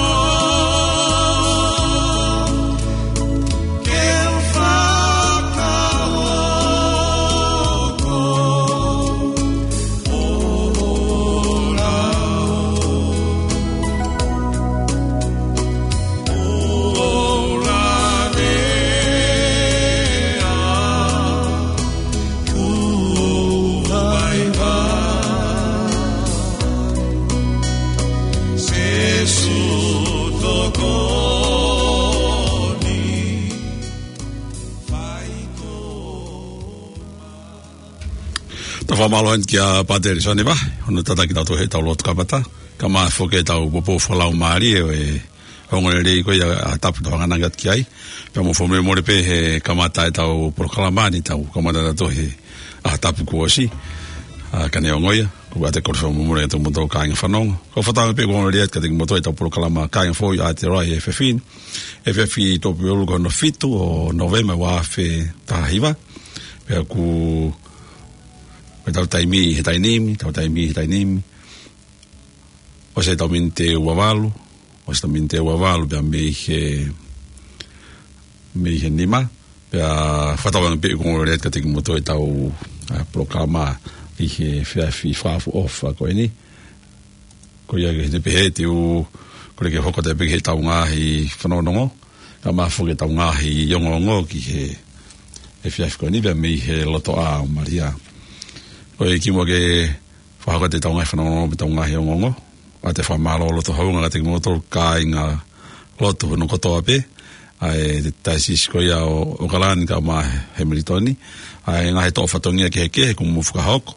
ke u fakahoko ʻo ʻola ʻo ʻola ʻo lavea, ʻo vaivai. Sīsū tokoni, faitoʻo mai. Tau fakamālō atu kia Pātele Sone Vahe, hono tataki kitautolu heʻetau lotu kamata. Kae ʻumaʻā foki ʻetau poupou fakalaumālie ʻo e ongoongolelei ko ia ʻa e tapu tau hanganaki atu ki ai. Pea mou fakamolemole pē he kamata ʻetau polokalama ni, tau kamata ʻa tautolu he ʻaho tapu kuo ʻosi. ʻA, ka neongo ia, ʻoku ou ʻoatu e kole fakamolemole kiate kimoutolu kāinga fanongo. Ko e fakatauange pē ʻoku ongoongolelei atu kiate kimoutolu ʻetau polokalama Kāinga Foʻou ʻa Aotearoa he efiafi ni. Efiafi Tuʻapulelulu ko hono fitu ʻo Nōvema ua afe taha hiva. Pea ʻoku, ko ʻetau taimi he taimi ni, ʻetau taimi he taimi ni, ʻosi ʻetau miniti ʻe ua valu, ʻosi ʻetau miniti ʻe ua valu pea mei he Mei he nima, pea fakatauange pē ʻoku ongoongo lelei atu kiate kimoutolu ʻetau, ʻa, polokalama ʻi he efiafi fakaʻofoʻofa ko eni. Ko ia ke te pehē te u kole ke hoko atu pē ki heʻetau ngaahi fanongonongo, kae ʻumaʻā foki ʻetau ngaahi ongoongo ki he efiafi ko eni pea mei he lotoʻā ʻo Malia. Ko e kimuʻa ke fakahoko atu ʻetau ngaahi fanongonongo mo ʻetau ngaahi ongoongo, ʻoatu e fakamālō loto houngaʻia kiate kimoutolu kāinga lotu hono kotoa pē, ʻa e taisisi ko ia ʻo ʻOkalani kae ʻumaʻā Hemilitoni, ʻa e ngaahi toʻo fatongia kehekehe kuo mou fakahoko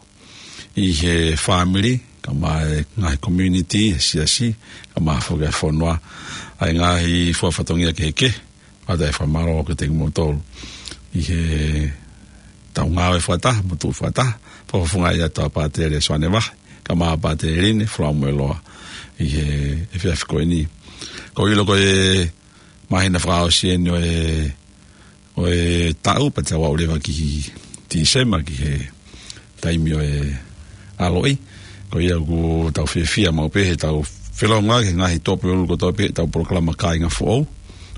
ʻi he fāmili, kae ʻumaʻā e ngaahi community, he siasi, kae ʻumaʻā foki e fonua, ʻa e ngaahi fua fatongia kehekehe, ʻoatu e fakamālō kiate kimoutolu ʻi heʻetau ngāue fakataha, mo tuʻu fakataha, fakafofongaʻi atu ʻa Pātele Soane Vahe, kae ʻumaʻā Pātele Line Folamueloa ʻi he efiafi ko eni. Ko e ʻilo ko e māhina fakaʻosi eni ʻo e, ʻo e taʻu, pea tau aʻu leva ki Tīsema ki he taimi ʻo e ʻaloʻi. Ko ia ʻoku tau fiefia maʻu pē heʻetau felōngoaki he ngaahi tuʻapulelulu kotoa pē heʻetau polokalama Kāinga Foʻou.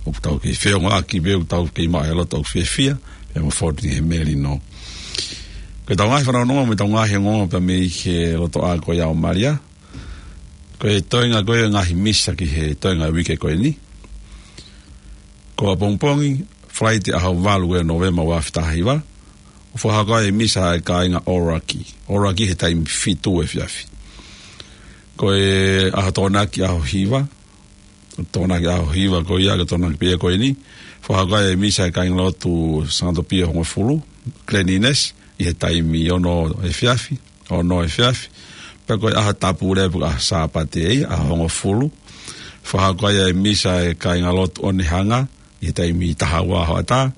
ʻOku tau kei feongoʻaki pē ʻoku tau kei maʻu e loto ʻoku fiefia, pea mo Fort Lee he melino. Ko ʻetau ngaahi fanongonongo mo ʻetau ngaahi ongoongo pea mei he lotoʻā ko ia ʻo Malia. Ko e toenga ko ia e ngaahi misa ki he toenga uike ko eni. Ko ʻapongipongi, Falaite ʻaho valu ʻo Nōvema ua afe taha hiva, ʻoku fakahoko ai e misa ʻa e kāinga ʻOlaki. ʻOlaki he taimi fitu efiafi. Ko e ʻaho Tokonaki ʻaho hiva, Tokonaki ʻaho hiva ko ia, ko e Tokonaki pē ia ko eni, fakahoko ai e misa ʻa e kāingalotu Sangato Pio hongofulu, Cleanliness, ʻi he taimi ono efiafi, ono efiafi. Pea ko e ʻaho Tapu leva, ʻaho Sāpate ia, ʻaho hongofulu, fakahoko ai e misa ʻa e kāingalotu Onehunga, ʻi he taimi taha ua hoʻatā.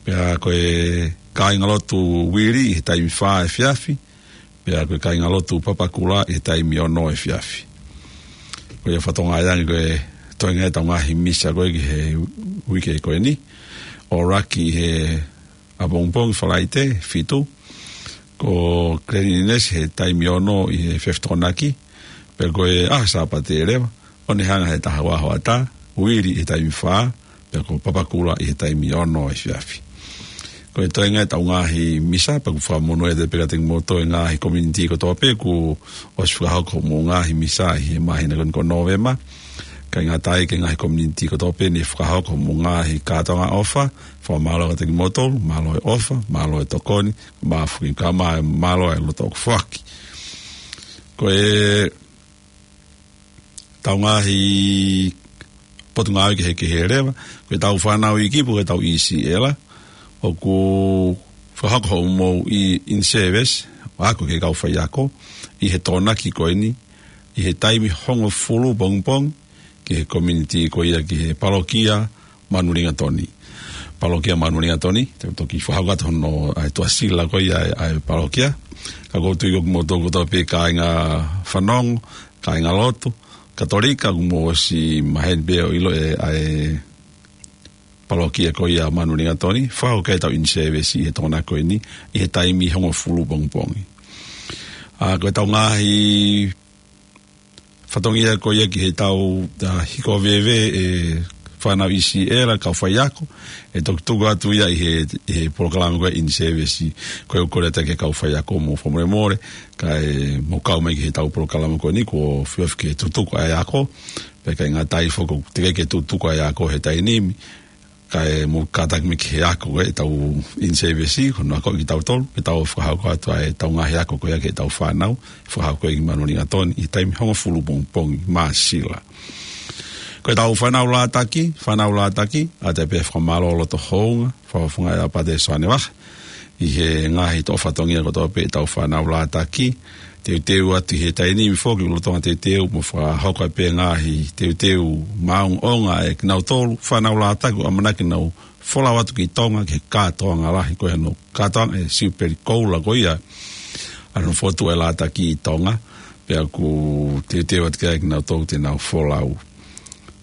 Pea ko e kāingalotu Uili ʻi he taimi fā efiafi. Pea ko e kāingalotu Papakura ʻi he taimi ono efiafi. Ko ia fakatokangaʻi ange ko e toenga ʻetau ngaahi misa ko ē ki he uike ko eni. ʻOlaki he ʻapongipongi Falaite, fitu. Ko Cleanliness he taimi ono ʻi he efiafi Tokonaki. Pea ko e ʻaho Sāpate leva, Onehunga he taha ua hoʻatā, Uili he taimi fā, pea ko Papakura ʻi he taimi ono efiafi. Ko e toenga ʻetau ngaahi misa, pea ʻoku fakamonū atu pē kiate kimoutolu e ngaahi community kotoa pē kuo ʻosi fakahoko hoʻomou ngaahi misa ʻi he māhina ko eni ko Nōvema. ʻIkai ngata ai ki he ngaahi community kotoa pē ne fakahoko hoʻomou ngaahi kātoanga ʻofa, fakamālō kiate kimoutolu, mālō e ʻofa, mālō e tokoni, mālō foki kae ʻumaʻā e mālō e loto ʻoku foaki. Ko e ʻetau ngaahi potungāue kehekehe leva, ko ʻetau fānau iiki pe ko ʻetau ʻīsiʻela, ʻoku fakahoko hoʻomou in-service, ako ki he kau faiako, ʻi he Tokonaki ko eni, ʻi he taimi hongofulu pongipongi, ki he community ko ia ki he palokia Manulingatoni. Palokia Manulingatoni, te u toki fakahoko atu hono, ʻa e tuʻasila ko ia ʻa e, ʻa e palokia. Ka ʻoku ou tui ko kimoutolu kotoa pē kāinga fanongo, kāingalotu, Katolika, kuo mou ʻosi maheni pē ʻo ʻilo e, ʻa e palokia ko ia Manulingatoni, fakahoko ai ʻetau in-service ʻi he Tokonaki ko eni, ʻi he taimi hongofulu pongipongi. ʻA, ko ʻetau ngaahi fatongia ko ia ki heʻetau, ʻa, hiko veve e fānau ʻīsiʻela, kau faiako, ʻe toki tuku atu ia ʻi he, ʻi he polokalama ko ia in-service, ko ia ʻoku kole atu ki he kau faiako mo fakamolemole, kae mou kau mai ki heʻetau polokalama ko eni, kuo fiefia ke tutuku ʻa e ako, pea ʻikai ngata ai foki ʻoku teʻeki ke tutuku ʻa e ako he taimi ni, kae mou kātaki mai ki he ako ko ē ʻetau in-service, ko hono akoʻi kitautolu, ke tau fakahoko atu ʻa ʻetau ngaahi ako ko ia ki heʻetau fānau, fakahoko ʻi Manulingatoni, ʻi he taimi hongofulu pongipongi Māsila. Ko ʻetau fānau lātaki, fānau lātaki, ʻoatu pē fakamālō loto houngaʻia, fakafofongaʻi ʻa Pātele Soane Vahe, ʻi he ngaahi toʻo fatongia kotoa pē ʻetau fānau lātaki, teuteu atu ʻi he taimi ni foki lolotonga teuteu mo fakahoko pē ngaahi teuteu maʻongoʻonga ʻa kinautolu, fānau lātaki ʻoku ʻamanaki ke nau folau atu ki Tonga ki he kātoanga lahi ko ē hono kātoanga e Siupeli Koula ko ia ʻa hono fokotuʻu e lātaki ʻi Tonga, pea ʻoku teuteu atu ki ai kinautolu te nau folau.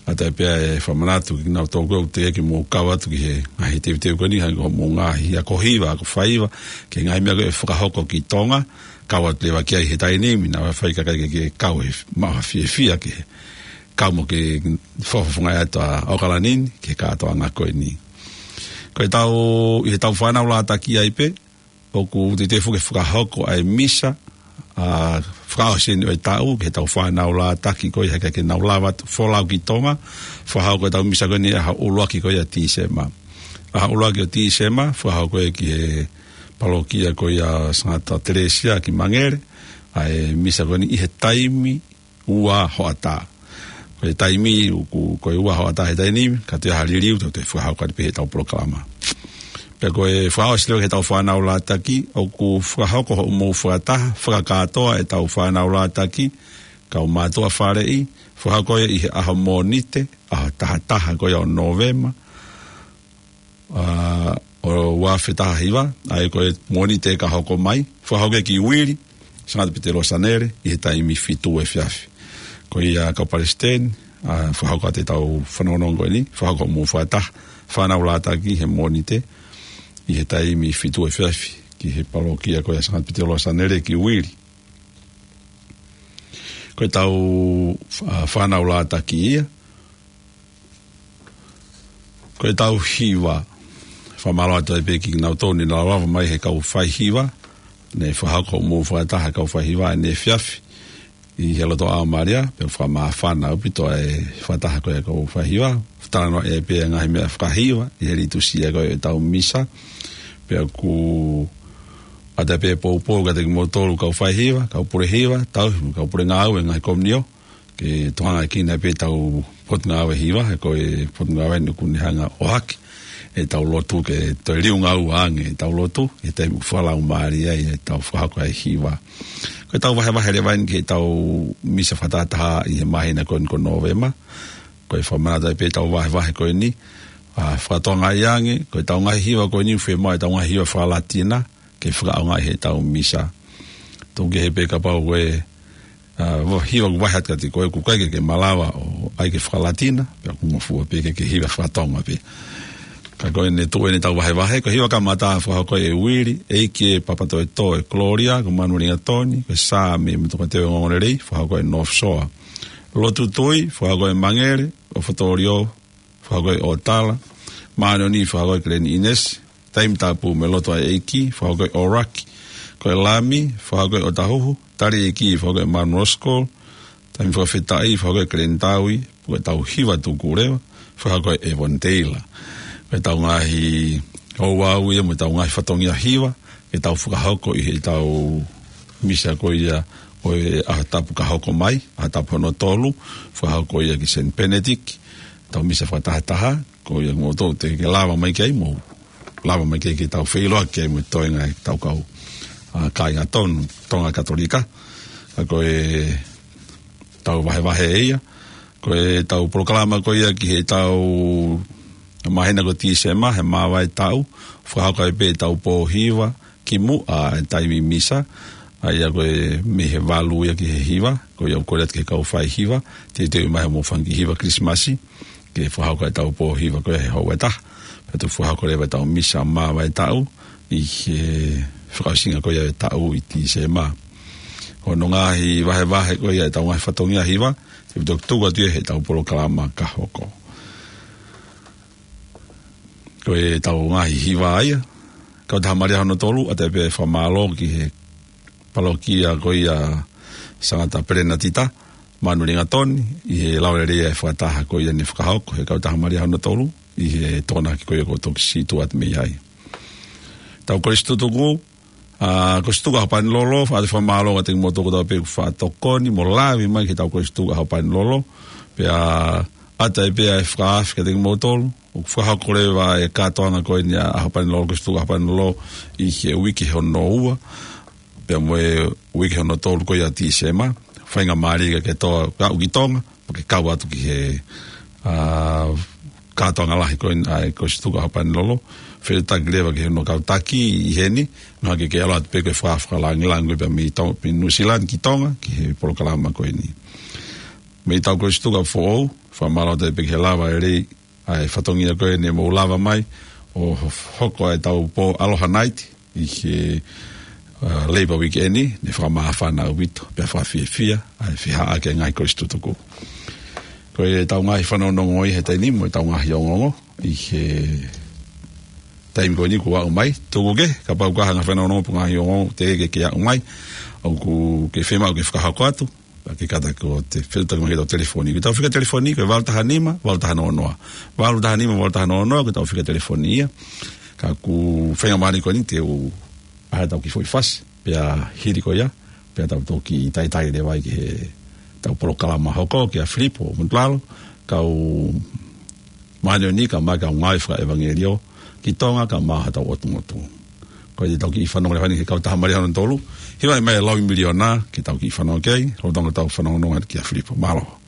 ʻOatu pē ʻa e fakamanatu kiate kinautolu ʻoku teʻeki ke mou kau atu ki he ngaahi teuteu ko eni, hangē ko hoʻomou ngaahi ako hiva, ako faiva, ki he ngaahi meʻa ko ē ʻe fakahoko ki Tonga, kau atu leva ki ai he taimi ni, naʻa faifai kakai ke, ke kau he maʻu ha fiefia ke kau mo ke fakafofongaʻi atu ʻa ʻOkalani ni ki he kātoanga ko eni. Ko e tau, ʻi he tau fānau lātaki ai pē, ʻoku teitei foki ke fakahoko ʻa e misa, ʻa, fakaʻosi eni ʻo e taʻu, ki he tau fānau lātaki ko ia he ʻikai ke nau lava atu folau ki Tonga, fakahoko e tau misa ko eni ʻaho ʻuluaki ko ia Tīsema. ʻAho ʻuluaki ʻo Tīsema, fakahoko ia ki he palokia ko ia Sangata Telesia ki Mangere, ʻa e misa ko eni ʻi he taimi ua hoʻatā. Ko e taimi ʻoku, ko e ua hoʻatā he taimi ni, ka te ha liliu, tau te fakahoko atu pē he tau polokalama. Pea ko e fakaʻosi leva ki he tau fānau lātaki, ʻoku fakahoko hoʻomou fakataha, fakakātoa e tau fānau lātaki, kau mātuʻa faleʻi, fakahoko ia ʻi he ʻaho Mōnite, ʻaho taha taha ko ia ʻo Nōvema, ʻa, ʻo ua afe taha hiva, ʻa ia ko e Mōnite ka hoko mai, fakahoko ia ki Uili, Sangata Pita Losanele, ʻi he taimi fitu efiafi. Ko ia kau palesiteni, ʻa, fakahoko atu e tau fanongonongo ko eni, fakahoko hoʻomou fakataha, fānau lātaki he Mōnite, ʻi he taimi fitu efiafi, ki he palokia ko ia Sangata Pita Losanele ki Uili. Ko e tau, ʻa, fānau lātaki ia, ko e tau hiva, fakamālō atu ai pē kinautolu ne lava mai he kau faihiva, ne fakahoko hoʻomou fakataha kau faihiva ʻaneefiafi, ʻi he loto ʻAo Malia, pea fakamāfana ʻaupito ʻa e fakataha ko ia kau faihiva, talanoa ʻe pē ngaahi meʻa fakahiva, ʻi he litusia ko ia e tau misa, pea ʻoku ʻoatu pē poupou kiate kimoutolu kau faihiva, kau pule hiva, tau, kau pule ngāue ngaahi komiunio, ke tokangaʻi kinautolu pē tau potungāue hiva, he ko e potungāue ni ʻoku ne hanga ʻo ʻohake e tau lotu ke toe liunga ua ange e tau lotu, he taimi ʻoku fakalaumālie ai e tau fakahoko ʻa e hiva. Ko e tau vahevahe leva eni ki he tau misa fakatahataha ʻi he māhina ko eni ko Nōvema, ko e fakamanatu ai pē tau vahevahe ko eni, ʻa, fakatokangaʻi ange, ko e tau ngaahi hiva ko eni ʻoku fiemaʻu e tau ngaahi hiva fakalatina, ke fakaʻaongaʻi he tau misa. Tuku kehe pē kapau ko e, ʻa, va-, hiva ʻoku vahe atu kiate koe ʻoku ʻikai ke ke malava ʻo ʻai ke fakalatina, pea ʻoku ngofua pē ke ke hiva fakatonga pē. Ka ko eni tuʻu eni tau vahevahe, ko e hiva kamata fakahoko ʻe Uili, ʻEiki ē Papatoetoe Gloria, ko Manuelingatoni, ko e Saame mo e Tokāteline Ongoongolelei, fakahoko ʻe North Shore. Lotu Tui, fakahoko ʻe Mangele, ʻo Fotolio, fakahoko ʻe ʻOtala, Māʻoniʻoni, fakahoko ʻe Kileni ʻInesi, Taimi Tapu mo e Lotu ʻa e ʻEiki, fakahoko ʻe ʻOlaki, ko e Lami, fakahoko ʻe ʻOtahuhu, Tali ʻEiki, fakahoko ʻe Manu Oskol, Taimi Fakafetaʻi, fakahoko ʻe Kileni Taui, ko e tau hiva tuku leva, fakahoko ʻe ʻEvoni Teila. Ko e tau ngaahi ouau ia mo e tau ngaahi fatongia hiva, ke tau fakahoko ʻi he tau misa ko ia ʻo e ʻaho tapu ka hoko mai, ʻaho tapu hono tolu, fakahoko ia ki Saint Benedict, tau misa fakatahataha, ko ia mo tau te ke lava mai ki ai mo, lava mai ki ai ke tau feʻiloaki ai mo e toenga e tau kau, ʻa, kāinga tonu, Tonga Katolika, ka ko e tau vahevahe ia, ko e tau polokalama ko ia ki he tau māhina ko Tīsema, he māvae taʻu, fakahoko ai pē tau pō hiva, ki muʻa e taimi misa, ʻa ia ko e mei he valu ia ki he hiva, ko ia ʻoku kole atu ki he kau faihiva, teuteu mai mo fanga kiʻi hiva Kilisimasi, ke fakahoko e tau pō hiva ko ia he houa ʻe taha, pea toki fakahoko leva e tau misa māvae taʻu, ʻi he fakaʻosinga ko ia e taʻu ʻi Tīsema. Ko hono ngaahi vahevahe ko ia e tau ngaahi fatongia hiva, te u toki tuku atu ia he tau polokalama ka hoko. Ko e tau ngaahi hiva ia, Kautaha Malia hono tolu, ʻoatu pē fakamālō ki he palokia ko ia Sangata Pelenatita, Manuelingatoni, ʻi he lau lelei ʻa e fakataha ko ia ne fakahoko he Kautaha Malia hono tolu, ʻi he Tokonaki ko ia kuo toki situʻa atu mei ai. Tau kolisi tutuku, ʻa, Kolisi Tutuku ʻAhopanilolo, ʻoatu fakamālō kiate kimoutolu kotoa pē kuo fakatokoni mo lave mai ki he tau Kolisi Tutuku ʻAhopanilolo, pea ʻoatu pē ʻa e fakaafe kiate kimoutolu, ʻoku fakahoko leva e kātoanga ko eni ʻa ʻAhopanilolo, Kolisi Tutuku ʻAhopanilolo ʻi he uike hono ua, pea mo e uike hono tolu ko ia Tīsema, faingamālie ke ke toa aʻu ki Tonga, pea ke kau atu ki he, ʻa, kātoanga lahi ko eni ʻa e Kolisi Tutuku ʻAhopanilolo, fetuʻutaki leva ki hono kau taki ʻi heni, naʻa ke ke ʻalu atu pē ko e fakafakalāngilangi pea mei Tonga, mei Nuʻusila ki Tonga, ki he polokalama ko eni. Mei he tau Kolisi Tutuku ʻa Foʻou, fakamālō atu pē ki he lava lelei, ʻa e fatongia ko eni mo lava mai, ʻo hoko ʻa e tau pō Aloha Night, ʻi he, ʻa, Labour Weekend ni, ne fakamāfana ʻaupito, pea fakafiefia, ʻa e fihā ʻa e ngaahi Kolisi Tutuku. Ko e tau ngaahi fanongonongo ʻi he taimi ni, mo e tau ngaahi ongoongo, ʻi he taimi ko eni kuo aʻu mai, tuku ke, kapau ko ha ngaahi fanongo pe ngaahi ongoongo teʻeki ke aʻu mai, ʻoku ke fiemaʻu ke fakahoko atu, pea ke kata ko te fetuʻutaki mai ki heʻetau telefoni. Ko ʻetau fika telefoni, ko e valu taha nima, valu taha noa noa. Valu taha nima, valu taha noa noa, ko ʻetau fika telefoni ia. Ka ʻoku feinga mālie ko eni te u ʻai haʻatau kiʻi foʻi fasi, pea hili ko ia, pea tau toki talitali leva ai ki heʻetau polokalama hoko kia Filipo Mutulalo, kau māʻoniʻoni kae ʻumaʻā e kau ngāue fakaʻevangeliō ki Tonga kae ʻumaʻā hotau ʻotu motu. Ko ia te tau kiʻi fanongo leva eni ki he Kautaha Malia hono tolu, hiva mai e Laui Miliona, ke tau kiʻi fanongo ki ai, lolotonga ʻetau fanongonongo kia Filipo. Mālō.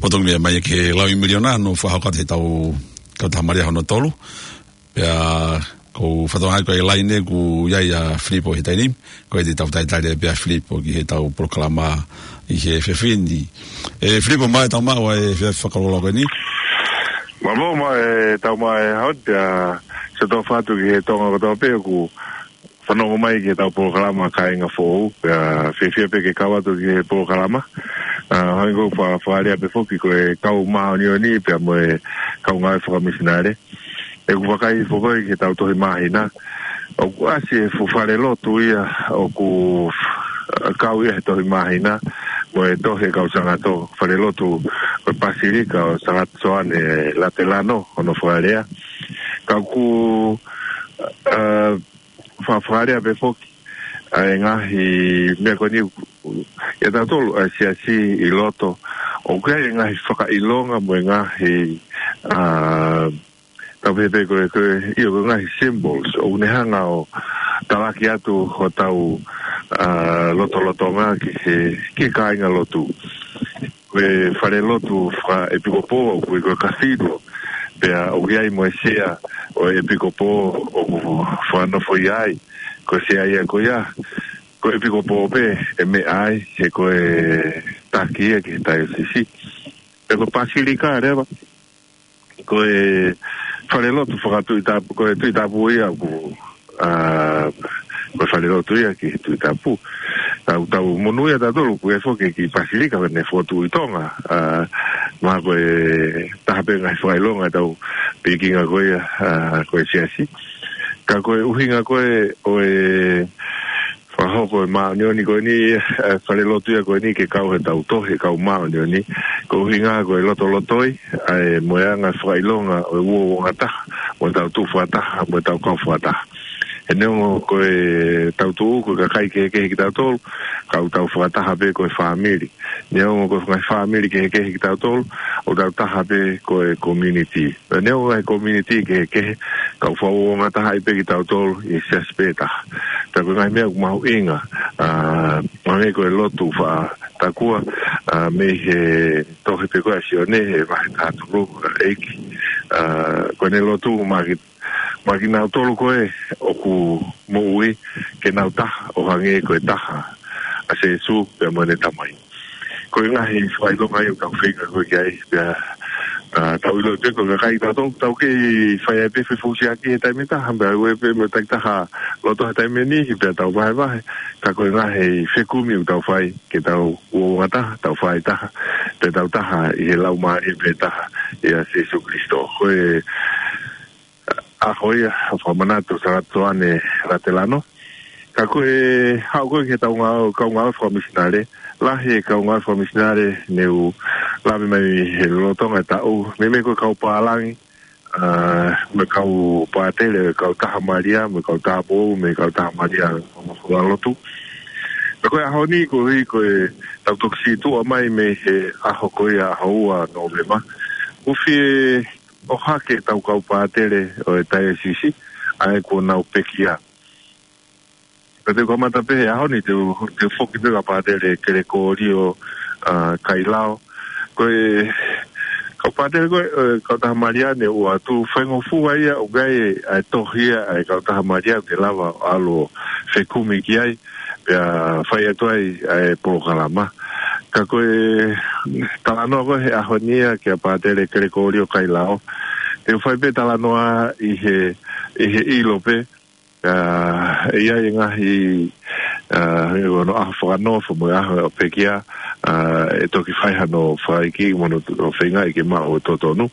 Potongi meʻa mai ki he Laui Miliona, ʻoku fakahoko atu heʻetau Kautaha Malia hono tolu. Pea ko e fatongia ko e laine ʻoku ʻi ai ʻa Filipo he taimi ni, ko ia te tau talitali pē ʻa Filipo ki heʻetau polokalama ʻi he efiafi ni. ʻE Filipo, mālō e tau maʻu ʻa e efiafi fakalōloa ko eni. Mālō, mālō e tau maʻu e hot, ʻa, se tau fatu ki he Tonga kotoa pē ʻoku fanongo mai ki heʻetau polokalama Kāinga Foʻou, pea fiefia pē ke kau atu ki he polokalama. ʻA, hangē ko e fa-, fakalea pē foki ko e kau māʻoniʻoni pea mo e kau ngāue fakamisinale. ʻOku vakai foki ki heʻetau tohi māhina. ʻOku ʻasi e fuʻu falelotu ia ʻoku kau ia he tohi māhina, mo e tohi ʻa e kau Sangato, falelotu ko e Pasilika ʻo Sangato Soane Latelano, hono fakalea. Ka ʻoku, ʻa, fa-, fakalea pē foki ʻa e ngaahi meʻa ko eni ʻia tautolu ʻa e siasi ʻi loto. ʻOku ʻi ai e ngaahi fakaʻilonga mo e ngaahi, ʻa, tau pehē pē ko e, ko e, ʻio, ko e ngaahi symbols ʻoku ne hanga ʻo talaki atu hotau, ʻa, lotolotonga ki he, ki he kāingalotu. Ko e falelotu fakaʻepikopō, ko e, ko e cathedral. Pea ʻoku ʻi ai mo e sea ʻo e ʻepikopō ʻoku fakanofo ia ai. Ko e sea ia ko ia, ko e ʻepikopō pē ʻe meʻa ai, he ko e taki ia ki he taiosisi. Pea ko e Pasilika leva, ko e falelotu fakatuʻitapu, ko e tuʻitapu ia ʻoku, ʻa, ko e falelotu ia ki he tuʻitapu. Tau, tau monūʻia tautolu ʻoku ʻi ai foki e kiʻi Pasilika naʻe fokotuʻu ʻi Tonga, ʻa, mahalo ko e taha pē ngaahi fakaʻilonga ʻetau pikinga ko ia, ʻa, ko e siasi. Ka ko e ʻuhinga ko ē ʻo e fakahoko e māʻoniʻoni ko eni, ʻa, falelotu ia ko eni ke kau heʻetau tohi, kau māʻoniʻoni, ko e ʻuhinga ko e lotolotoi ʻa e, mo e anga fakaʻilonga ʻo e uouangataha, mo ʻetau tuʻu fakataha, mo ʻetau kau fakataha. He neongo ko ʻetau tuʻu ko e kakai kehekehe kitautolu, ka ʻoku tau fakataha pē ko e fāmili. Neongo ko e ngaahi fāmili kehekehe kitautolu, ʻoku tau taha pē ko e community. Neongo e community kehekehe, ka ʻoku fakauouangatahaʻi pē kitautolu ʻi he siasi pē taha. Pea ko e ngaahi meʻa ʻoku mahuʻinga, ʻa, mahalo ko e lotu fakatakua, ʻa, mei he tohi pē ko ē ʻa Sione, he vahe taha tolu, ʻa, ʻEiki, ʻa, ko ʻene lotu maʻa ki, maʻa kinautolu ko ē ʻoku moʻui, ke nau taha ʻo hangē ko e taha ʻa Sīsū pea mo ʻene Tamai. Ko e ngaahi fakaʻilonga ia ʻoku tau feinga ko ē ki ai, pea ʻA, tau ʻilo ʻe he kakai tautolu, tau kei fai ai pē fefūsiaki he taimi ʻe taha, pea ʻoua pē mo e takitaha loto he taimi ni, pea tau vahevahe, ka ko e ngaahi fekumi ʻoku tau fai, ke tau uouangataha, tau fai taha, pea tau taha ʻi he laumālie pē taha, ʻia Sīsū Kalaisi. Ko e ʻaho ia, ʻa fakamanatu ʻa Sālote Soane Ratelano. Ka ko e haʻu ko ē ki he tau ngāue, kau ngāue fakamisinale, lahi e kau ngāue fakamisinale ne u lave mai he lolotonga e taʻu, meimei ko e kau pālangi, ʻa, mo e kau pātele, kau taha Malia, mo e kau tāupoʻou, mo e kau taha Malia, mo e kau lotu. Ka ko e ʻaho ni, koeʻuhi ko e tau toki sītuʻa mai mei he ʻaho ko ia ʻaho ua Nōvema. ʻOku fie ʻohake ʻetau kau pātele ʻo e taiosisi, ʻa ē kuo nau pekia. Ka te u kamata pē he ʻaho ni, te u, te u foki pē kia Pātele Kelekōlio, ʻa, Kailao. Ko e kau pātele ko ē, ʻa e kau taha Malia ne ʻoatu, faingofua ia ʻoku ʻi ai ʻa e tohi ia ʻa e kau taha Malia ʻoku te lava ʻo ʻalu ʻo fekumi ki ai, pea fai atu ai ʻa e polokalama. Ka ko e talanoa ko ē he ʻaho ni ia kia Pātele Kelekōlio Kailao, te u fai pē talanoa ʻi he, ʻi he ʻilo pē, ʻa, ʻe ʻi ai e ngaahi, ʻa, ʻi hono ʻaho fakanofo mo e ʻaho ʻo pekia, ʻa, ʻe toki fai hano fakaʻeiki mo hono feingaʻi ke maʻu ʻo totonu.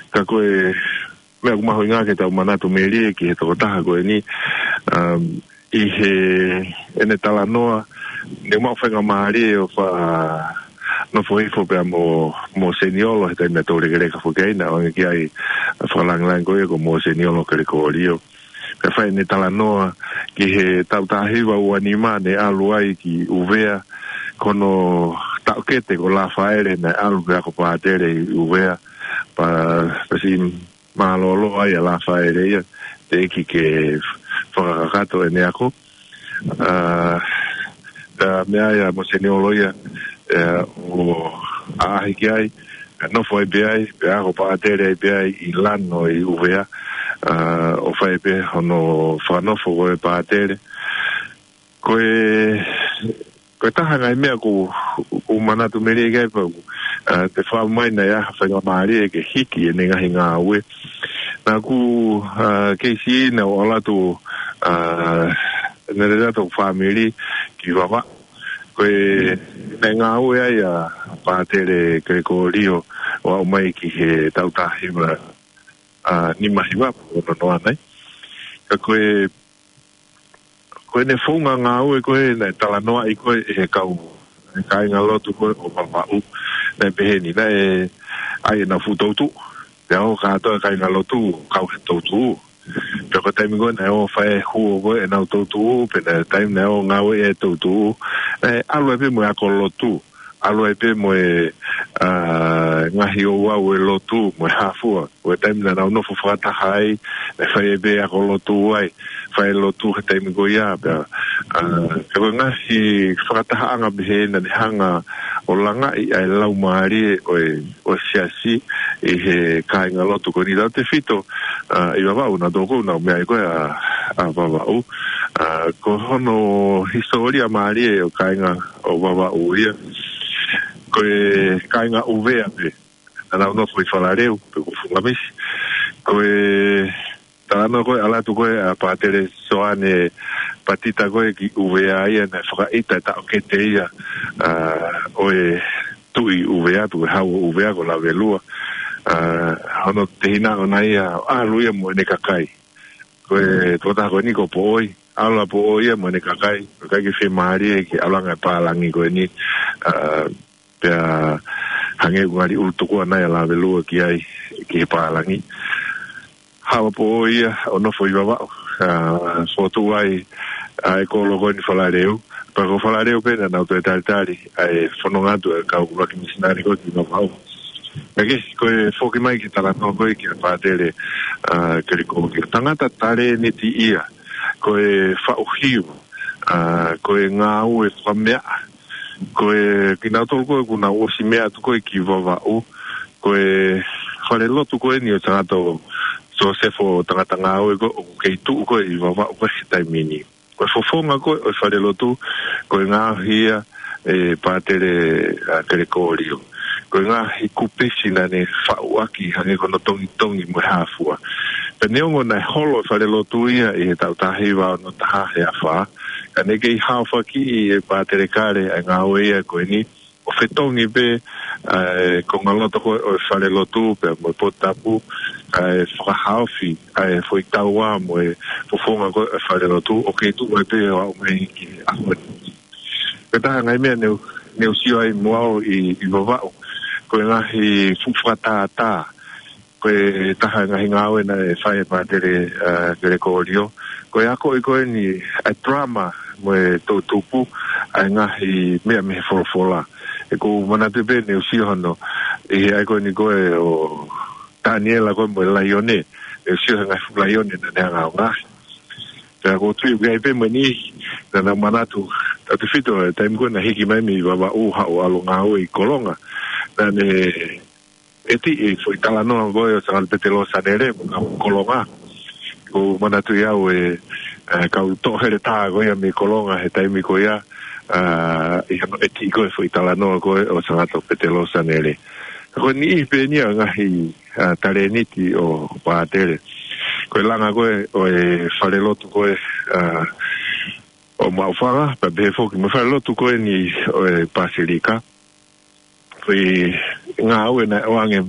Ka ko e meʻa ʻoku mahuʻinga ke tau manatu melie ki he tokotaha ko eni, um, ʻi he ʻene talanoa, ne mau faingamālie ʻo fa-, nofo hifo pea mo, mo Seniolo, he taimi naʻa tau lekeleka foki ai, naʻe ʻoange ki ai ʻa e fakalāngilangi ko ia ko Mōseniolo Kelekōlio. Pea fai ʻene talanoa ki he taʻu taha hiva ua nima ne ʻalu ai ki ʻUvea, ko hono taʻokete ko Lafaele naʻe ʻalu pē ako pātele ʻi ʻUvea, pea, pea siʻi mālōlō ai ʻa Lafaele ia, teʻeki ke fakakakato ʻene ako. ʻA, pea meʻa ai ʻa Mōseniolo ia, ʻa, ʻo ʻaʻahi ki ai, ʻa, nofo ai pē ai, pea ako pātele ai pē ai ʻi lalo ʻi ʻUvea, ʻa, ʻo fai pē hono fakanofo ko e pātele. Ko e, ko e taha ngaahi meʻa ʻoku, ʻoku manatu melie ki ai pea, ʻa, te u faʻa mai naʻe ʻi ai ha faingamālie ke hiki ʻene ngaahi ngāue. Naʻa ku, ʻa, kei siʻi naʻa ku ʻalu atu, ʻa, naʻe lele atu hoku fāmili ki Vavaʻu. Ko e, naʻe ngāue ai ʻa Pātele Kelekōlio ʻo aʻu mai ki he taʻu taha hiva, ʻa, nima hiva, ʻo nonoa nai. Ka ko e, ko ʻene founga ngāue ko ē naʻe talanoaʻi ko ē ʻe he kau, ʻe he kāingalotu ko ē ʻo Vavaʻu, naʻe pehē ni, naʻe ʻai ʻenau fuʻu toutuʻu. Pea ō kātoa e kāingalotu ʻo kau he toutuʻu. Pea ko e taimi ko ē naʻe ō fai e huo ko ē ʻenau toutuʻu, pe naʻe taimi naʻe ō ngāue e toutuʻu, naʻe ʻalu ai pē mo e ako lotu. ʻAlu ai pē mo e, ʻa, ngaahi ouau e lotu, mo e hā fua. Ko e taimi naʻa nau nofo fakataha ai, naʻe fai ai pē ako lotu ai, fai lotu he taimi ko ia, pea, ʻa, pea ko e ngaahi fakatahaʻanga pehē naʻa ne hanga ʻo langaʻi ʻa e laumālie ʻo e, ʻo e siasi ʻi he kāingalotu ko eni, tautefito, ʻa, ʻi Vavaʻu, naʻa tō kou naʻa ku meaʻi ko ē ʻa, ʻa Vavaʻu. ʻA, ko hono hisitōlia mālie ʻo e kāinga ʻo Vavaʻu ia. Ko e kāinga ʻUvea pē. Naʻa nau nofo ʻi Falaleu, pe ko Fungamisi. Ko e talanoa ko ē, ʻalu atu ko ē ʻa Pātele Soane Patita ko ē ki ʻUvea ia, naʻe fakaʻita e taʻokete ia, ʻa, ʻo e tuʻi ʻUvea, tuʻi hau ʻo ʻUvea ko Lavelua. ʻA, hono tehina ʻona ia, ʻalu ia mo ʻene kakai. Ko e tokotaha ko eni ko Poʻoi, ʻalu ʻa Poʻoi ia mo ʻene kakai, kakai ke fiemālie ki he ʻaluʻanga e pālangi ko eni, ʻa, pea hangē ʻoku ngali ʻulu tuku ʻana ia ʻa Lavelua ki ai, ki he pālangi. Haʻu ʻa Poʻoi ia ʻo nofo ʻi Vavaʻu, ʻa, fotu ai ʻa e kolo ko eni Falaleu, pea ko Falaleu pē naʻa nau toe talitali ʻa e fononga atu e kau ʻuluaki misinale ko ē ki Vavaʻu. Ka ke, ko e foki mai ki he talanoa ko ē kia Pātele, ʻa, Kelekōlio. Tangata talēniti ia, ko e faʻu hiva, ʻa, ko e ngāue fakameaʻa, ko e kinautolu ko ē kuo nau ʻosi meʻa atu ko ē ki Vavaʻu, ko e falelotu ko eni ʻo Tangata Sosefo Tangata Ngāue ko ē ʻoku kei tuʻu ko ē ʻi Vavaʻu ko ē he taimi ni. Ko e fofonga ko ē ʻo e falelotu, ko e ngaohi ia ʻe Pātele, ʻa, Kelekōlio. ko e ngaahi kupisi naʻa ne faʻu ʻaki hangē ko hono tongitongi mo e hāfua. Pea neongo naʻe holo e falelotu ia ʻi he taʻu taha hiva ono taha he afā, ka ne kei haofaki ʻe Pātele Kale ʻa e ngāue ia ko eni, ʻo fetongi pē ʻa e kongaloto ko ē ʻo e falelotu pea mo e potu tapu, kae fakahaofi ʻa e foʻi taua mo e fofonga ko ē ʻo e falelotu, ʻo kei tuʻu mai pē ʻo aʻu mai ki he ʻaho ni. Ko e taha e ngaahi meʻa ne u, ne u sio ai mo au ʻi, ʻi Vavaʻu, ko e ngaahi fuʻu fakatātā, ko e taha e ngaahi ngāue naʻe fai ʻe Pātele, ā, Kelekolio, ko e akoʻi ko eni ʻa e drama mo e toʻutupu ʻa e ngaahi meʻa mei he folofola. ʻOku ou manatu pē ne u sio hono, ʻi he ʻai ko eni ko ē ʻo Taniela ko ē mo e laione, ne u sio he ngaahi fuʻu laione naʻa ne hanga ʻo ngaohi. Ka ʻoku ou tui ʻoku ʻi ai pē mo e niʻihi naʻa nau manatu, tautefito he taimi ko ē naʻe hiki mai mei Vavaʻu haʻu ʻo ʻalu ʻo ngāue ʻi Kolonga, naʻa ne ʻetiʻi e foʻi talanoa ko ē ʻo Sangata Petelō Sanele mo e kau Kolonga. ʻOku ou manatuʻi au e, e kau toʻoheletā ko ia mei Kolonga he taimi ko ia, ā, ʻi hono ʻetiʻi ko ē e foʻi talanoa ko ē ʻo Sangata Petelō Sanele. Ko e niʻihi pē eni ia e ngaahi, ā, talēniti ʻo Pātele. Ko e langa ko ē ʻo e falelotu ko ē, ā, ʻo Maʻufanga, pea pehē foki mo e falelotu ko eni ʻo e Pasilika. Ko e ngāue naʻe ʻoange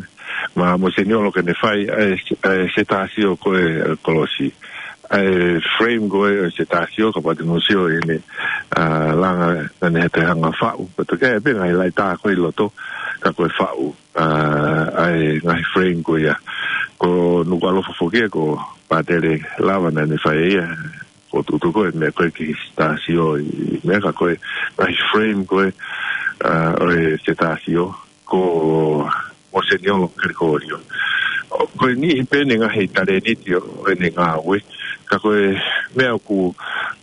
maʻa Mōseniolo ke ne fai ʻa e, ʻa e setāsio ko ē ʻo e kolosi. ʻA e frame ko ē ʻo e setāsio, kapau te mou sio ʻene, ā, langa naʻa ne toe hanga ʻo faʻu. Ko e toki ʻai pē ngaahi laʻi tā ko ē ʻi loto, ka ko e faʻu, ā, ʻa e ngaahi frame ko ia. Ko Nukuʻalofa foki ia ko Pātele lava naʻa ne fai ia. Ko e tuʻutuʻu ko ē meʻa ko ē ki he setāsio ʻi meʻa ka ko e ngaahi frame ko ē, ā, ʻo e setāsio ko Mōseniolo Kelekolio. ʻO, ko e niʻihi pē eni e ngaahi talēniti ʻo, ʻo ʻene ngāue. Ka ko e meʻa ʻoku,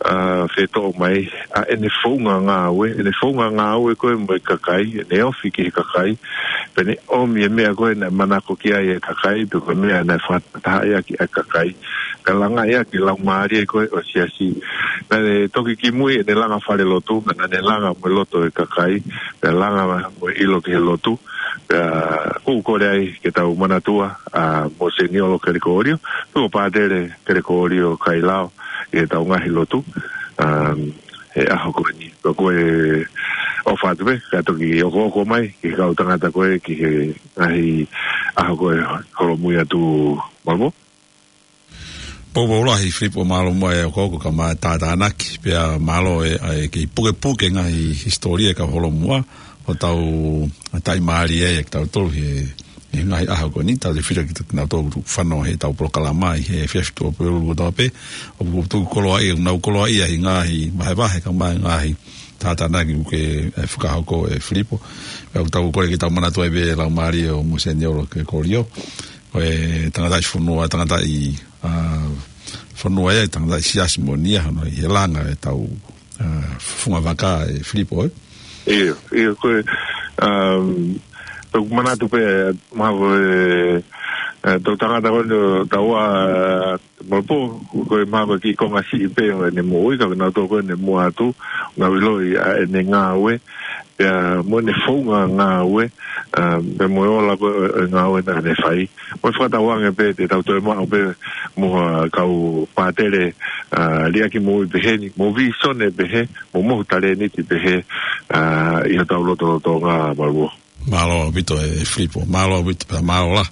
ā, fetoʻo mai, ʻa ʻene founga ngāue, ʻene founga ngāue ko ē mo e kakai, ʻene ofi ki he kakai, pea ne ʻomi e meʻa ko ē naʻe manako ki ai e kakai, pe ko e meʻa naʻe fakatahaʻi ʻaki ʻa e kakai, ka langaʻi ʻaki e laumālie ko ē ʻo e siasi. Naʻa ne toki kimui ʻene langa falelotu, ka naʻa ne langa mo e loto e kakai, pea langa mo e ʻilo ki he lotu, pea ʻoku ou kole ai ke tau manatua ʻa Mōseniolo Kelekolio, pe ko Pātele Kelekolio Kailao, ʻi heʻetau ngaahi lotu, ā, he ʻaho ko eni. Pea ko e ʻofa atu pē, ka toki okooko mai ki he kau tangata ko ē ki he ngaahi ʻaho ko ē holomui atu, Malamo. Poupou lahi Filipo, mālō muʻa e okooko kae ʻumaʻā e tātānaki, pea mālō e, ʻa e kei pukepuke ngaahi hisitōlia ʻa e kau holomua, ʻo tau taʻimālie ai ʻa kitautolu he, he ngaahi ʻaho ko eni, tautefito kinautolu ʻoku fanongo heʻetau polokalama ʻi he efiafi Tuʻapulelulu kotoa pē, ʻoku tuku koloaʻia, nau koloaʻia ʻi he ngaahi vahevahe kae ʻumaʻā e ngaahi tātānaki ʻoku ke, ē, fakahoko ē Filipo. Pea ʻoku tau kole ke tau manatu ai pē e laumālie ʻo Mōseniolo Kelekolio. Ko e tangataʻi fonua, tangataʻi, ā, fonua ia, tangataʻi siasi moʻoni ia, hono ʻi he langa ʻetau, ā, funga vaka ē Filipo, ē? ʻIo, ʻio, ko e, um, ʻoku ou manatu pē, mahalo ko e, ē, tau tangata ko eni ʻo taua, ē, Malamo, ko e mahalo ko e kiʻi konga siʻi pē ʻo ʻene moʻui, ka ko kinautolu ko ē naʻe muʻa atu, nau ʻiloʻi ʻa ʻene ngāue, pea mo ʻene founga ngāue, ā, pea mo e ola ko ē ʻo, ʻo e ngāue naʻa ne fai. Mo e fakatauange pē te tau toe maʻu pē mo ha kau pātele, ā, liʻaki moʻui pehē ni, mo vīsone pehē, mo mohu talēniti pehē, ā, ʻi hotau lotolotonga, Malamo. Mālō ʻaupito ē Filipo, mālō ʻaupito pea mālō lahi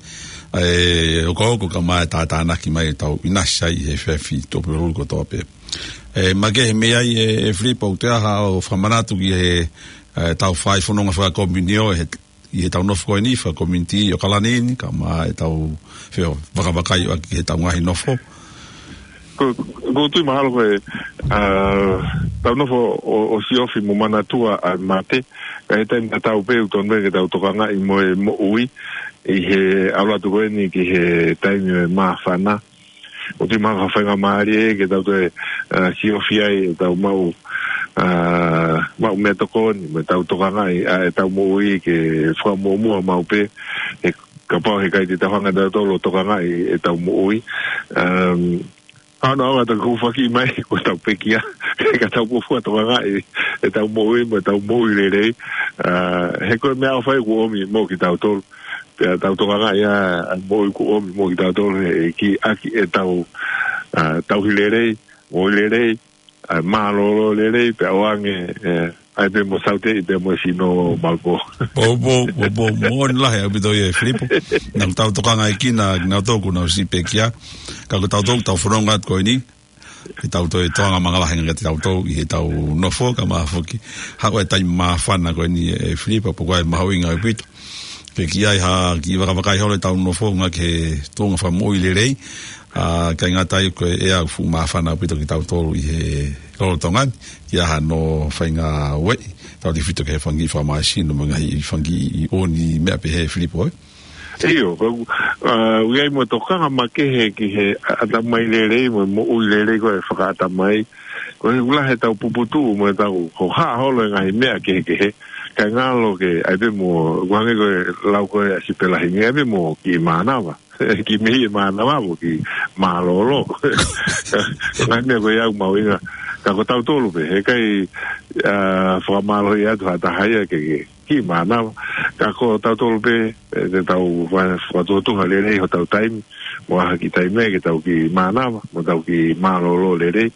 e okooko kae ʻumaʻā e tātānaki mai ʻetau ʻinasi ai he efiafi Tuʻapulelulu kotoa pē. Ē, makehe mei ai ē, ē Filipo, ʻoku toe ʻi ai haʻo fakamanatu ki he, ē, tau fai fononga fakakomiunio he, ʻi heʻetau nofo ko eni, fakakomiunitī ʻi ʻAokalani ni, kae ʻumaʻā ʻetau feʻao vakavakai ʻaki heʻetau ngaahi nofo. Ko, ʻoku ou tui mahalo ko e, ā, tau nofo ʻo, ʻo siofi mo manatua ʻa e mate, ka ʻi he taimi tatau pē ʻoku totonu pē ke tau tokangaʻi mo e moʻui, ʻi he ʻalu atu ko eni ki he taimi ʻo e māfana. ʻOku ou tui mahalo ko ha faingamālie ke tau toe, ā, siofi ai ʻetau maʻu, ā, maʻu meʻatokoni, mo ʻetau tokangaʻi ʻa ʻetau moʻui ke fakamuʻomuʻa maʻu pē, he kapau heʻikai te tau hanga ʻe tautolu ʻo tokangaʻi ʻetau moʻui. Um, ʻa hono ʻaonga ʻetau kufaki mai, ko ʻetau pekia, ka tau fuofua tokangaʻi ʻetau moʻui, mo ʻetau moʻui lelei. ʻA, he ko e meʻaʻofa ia kuo ʻomi mo kitautolu. Pea tau tokanga ia, ʻa, moʻui kuo ʻomi mo kitautolu he ʻEiki ʻaki ʻetau, ʻa, tauhi lelei, moʻui lelei, ʻa, mālōlō lelei, pea ʻoange, ʻe, ʻai pē mo Saute, ʻi pē mo e sino Malpō. Pō, pō, pō, pō, moʻoni lahi ʻaupito ia ʻe Filipo. Naʻa tau tokanga ʻi kina, naʻa tau tokanga ʻosi pekia. Ka ko tautolu, tau fononga atu ko eni. Ke tau toe tokanga mālohi ange kiate kitautolu ʻi heʻetau nofo, kae ʻumaʻā foki. Haʻu e taimi māfana ko eni ʻe Filipo, pea ko e mahuʻinga ʻaupito. Ke ʻi ai ha kiʻi vakavakai holo ʻetau nofo, ngāue ki he tuʻunga fakamoʻui lelei. ʻA, ʻikai ngata ai ko e ʻea fuʻu māfana ʻaupito kitautolu ʻi he lolotonga ni, ʻi ai hano faʻahinga ueʻi, tautefito ki he fanga kiʻi fakamāsino, mo e ngaahi fanga kiʻi ʻoni meʻa pehē Filipo, ē? ʻIo, ko, ʻa, ʻoku ʻi ai mo e tokanga makehe ki he ʻatamai lelei, mo e moʻui lelei ko e fakaʻatamai. Ko e ʻuhinga he ʻetau puputuʻu, mo ʻetau hohaʻa holo e ngaahi meʻa kehekehe. Kae ngalo ke, ʻai pē mo, ʻoku hangē ko e lau ko ē ʻa Sipela Hingi, ʻai pē mo kiʻi mānava. Kiʻi meʻi e mānava mo kiʻi mālōlō. Ngaahi meʻa ko ia ʻoku mahuʻinga. Ka ko tautolu pē, heʻikai, ʻa, fakamālohi atu ha taha ia ke, ke kiʻi mānava. Ka ko tautolu pē, ʻe, te tau fa-, fakatuʻutuʻu lelei hotau taimi, mo ʻai ha kiʻi taimi ke tau kiʻi mānava, mo tau kiʻi mālōlō lelei,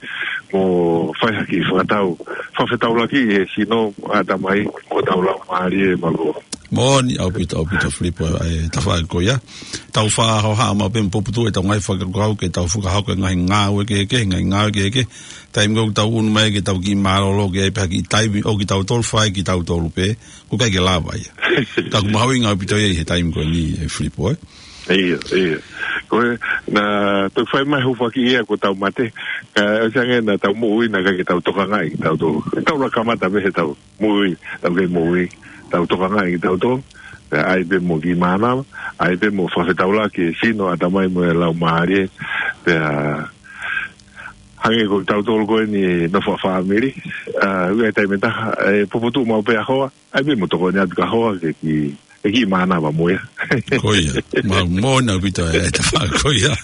mo fai ha kiʻi fakatau, fakafetaulaki he sino, ʻatamai, mo hotau laumālie, mālō. Moʻoni ʻaupito, ʻaupito Filipo, ʻa e tafaʻaki ko ia. Tau fakahohaʻa maʻu pē mo puputuʻu ʻetau ngaahi fakakaukau ke tau fakahoko e ngaahi ngāue kehekehe, ngaahi ngāue kehekehe. Taimi ʻoku tau ʻunu mai ke tau kiʻi mālōlō ke ʻai pē ha kiʻi taimi ʻo kitautolu fai kitautolu pē. ʻOku ʻikai ke lava ia. Ka ʻoku mahuʻinga ʻaupito ia ʻi he taimi ko eni ʻe Filipo, ē? ʻIo, ʻio. Ko e, naʻa tau fai mai hūfaki ia ko ʻetau mate. Ka ʻosi ange naʻa tau moʻui naʻe ʻikai ke tau tokangaʻi, tau tō. Tau laka mata mei heʻetau moʻui, tau kei moʻui. Tau tokangaʻi kitautolu. Pea ʻai pē mo kiʻi mānava, ʻai pē mo fakafetaulaki e sino, ʻatamai mo e laumālie. Pea hangē ko tautolu ko eni nofo fakafāmili. ʻA, ʻoku ʻi ai e taimi ʻe taha, ʻe puputuʻu maʻu pē ʻa hoa, ʻai pē mo tokoni atu ki he hoa ke kiʻi, ke kiʻi mānava mo ia. Ko ia, ma-, moʻoni ʻaupito e tafaʻaki ko ia.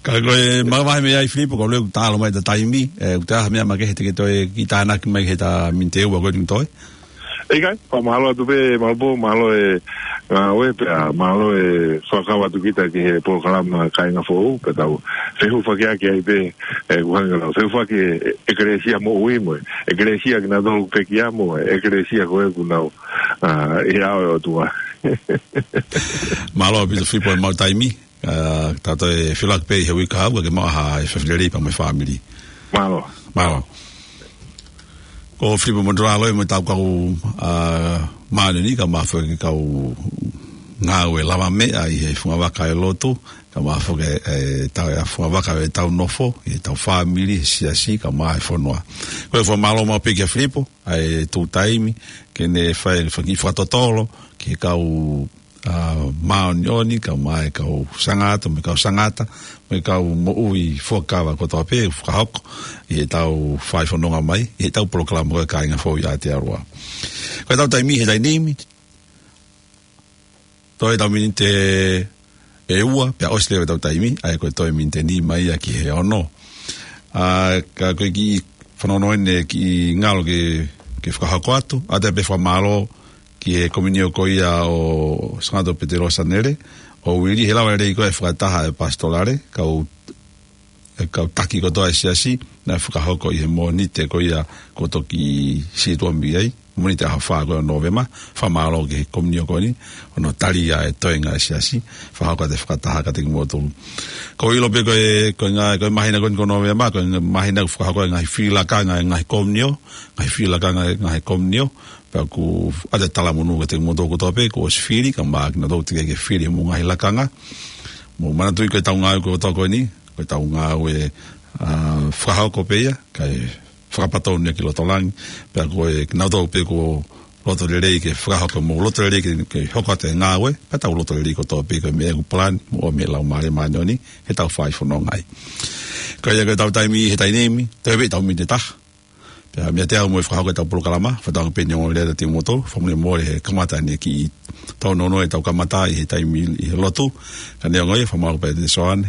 Ka ko e mavahe mei ai Filipo, ko e leu talo mai ʻeta taimi, ʻe, ʻoku ʻi ai ha meʻa makehe te ke toe kiʻi tānaki mai ki heʻeta miniti ʻe ua ko eni toe. ʻIkai, fakamālō atu pē, Malpō, mālō e ngāue pea, mālō e fakakau atu kita ki he polokalama Kāinga Foʻou, pea tau fehūfakiʻaki ai pē, ʻe, ʻoku hangē ko e fehūfaki e, ʻekalesia moʻui mo e, ʻekalesia kinautolu pekia mo e, ʻekalesia ko ē ʻoku nau, ʻa, ʻi he ʻao ʻo e ʻOtua. Mālō ʻaupito Filipo e maʻu taimi. ʻA, tau toe fehūfaki pē ʻi he uike kahaʻu, ke maʻu ha fefine lelei pea mo e fāmili. Mālō. Mālō. Ko Filipo Motuʻaloa mo ʻetau kau, ʻa, māʻoniʻoni kae ʻumaʻā foki e kau ngāue lavameʻa ʻi he fungavaka ʻo e lotu, kae ʻumaʻā foki e, ʻetau, ʻa e fungavaka ʻo ʻetau nofo, ʻetau fāmili, siasi, kae ʻumaʻā e fonua. Ko e fakamālō maʻu pē kia Filipo, ʻa e tuʻu taimi, ke ne fai, fai e fakatotolo, ki he kau ʻa, māʻoniʻoni, kae ʻumaʻā e kau sangata, mo e kau sangata, mo e kau moʻui fuakava kotoa pē, fakahoko, ʻi heʻetau fai fononga mai, ʻi heʻetau polokalama ko e Kāinga Foʻou ʻi Aotearoa. Ko ʻetau taimi he taimi ni, toe ʻetau miniti ʻe ua, pea ʻosi leva ʻetau taimi, ʻa ia ko e toe miniti ʻe nima ia ki he ono. ʻA, ka ko e kiʻi fanongo eni kiʻi ngalo ke, ke fakahoko atu, ʻoatu pē fakamālō, ki he komiunio ko ia ʻo Sangato Petelo Sanele, ʻo Uili he lava lelei ko e fakataha e pasitolale, kau, e kau taki kotoa e siasi, naʻe fakahoko ʻi he Mōnite ko ia kuo toki situʻa mei ai, Mōnite ʻaho fā ko ia ʻo Nōvema, fakamālō ki he komiunio ko eni, hono tali ʻa e toenga e siasi, fakahoko atu e fakataha kiate kimoutolu. Ko e ʻilo pē ko e, ko e ngā, ko e māhina ko eni ko Nōvema, ko e māhina ʻoku fakahoko e ngaahi fili lakanga e ngaahi komiunio, ngaahi fili lakanga e ngaahi komiunio, pea ʻoku ʻoatu e talamonū kiate kimoutolu kotoa pē kuo ʻosi fili, kae ʻumaʻā kinautolu teʻeki ke fili mo e ngaahi lakanga. Mou manatuʻi ko ʻetau ngāue kotoa ko eni, ko ʻetau ngāue, ʻa, fakahoko pē ia, kae fakapatonu ia ki loto langi, pea ko e kinautolu pē kuo loto lelei ke fakahoko mo loto lelei ke, ke hoko atu e ngāue, pea tau loto lelei kotoa pē ko e meʻa ʻoku palani, mo e ʻomi ʻe he Laumālie Māʻoniʻoni, heʻetau fai fononga ai. Ko ia ko ʻetau taimi he taimi ni, toe pē ʻetau miniti ʻe taha. Pea meiate au mo e fakahoko ʻetau polokalama, fakatauange pē ʻe ongo lea kiate kimoutolu, fakamolemole he kamata eni kiʻi tau nono ʻetau kamata ʻi he taimi ʻi he lotu, ka neongo ia, fakamālō pē Soane,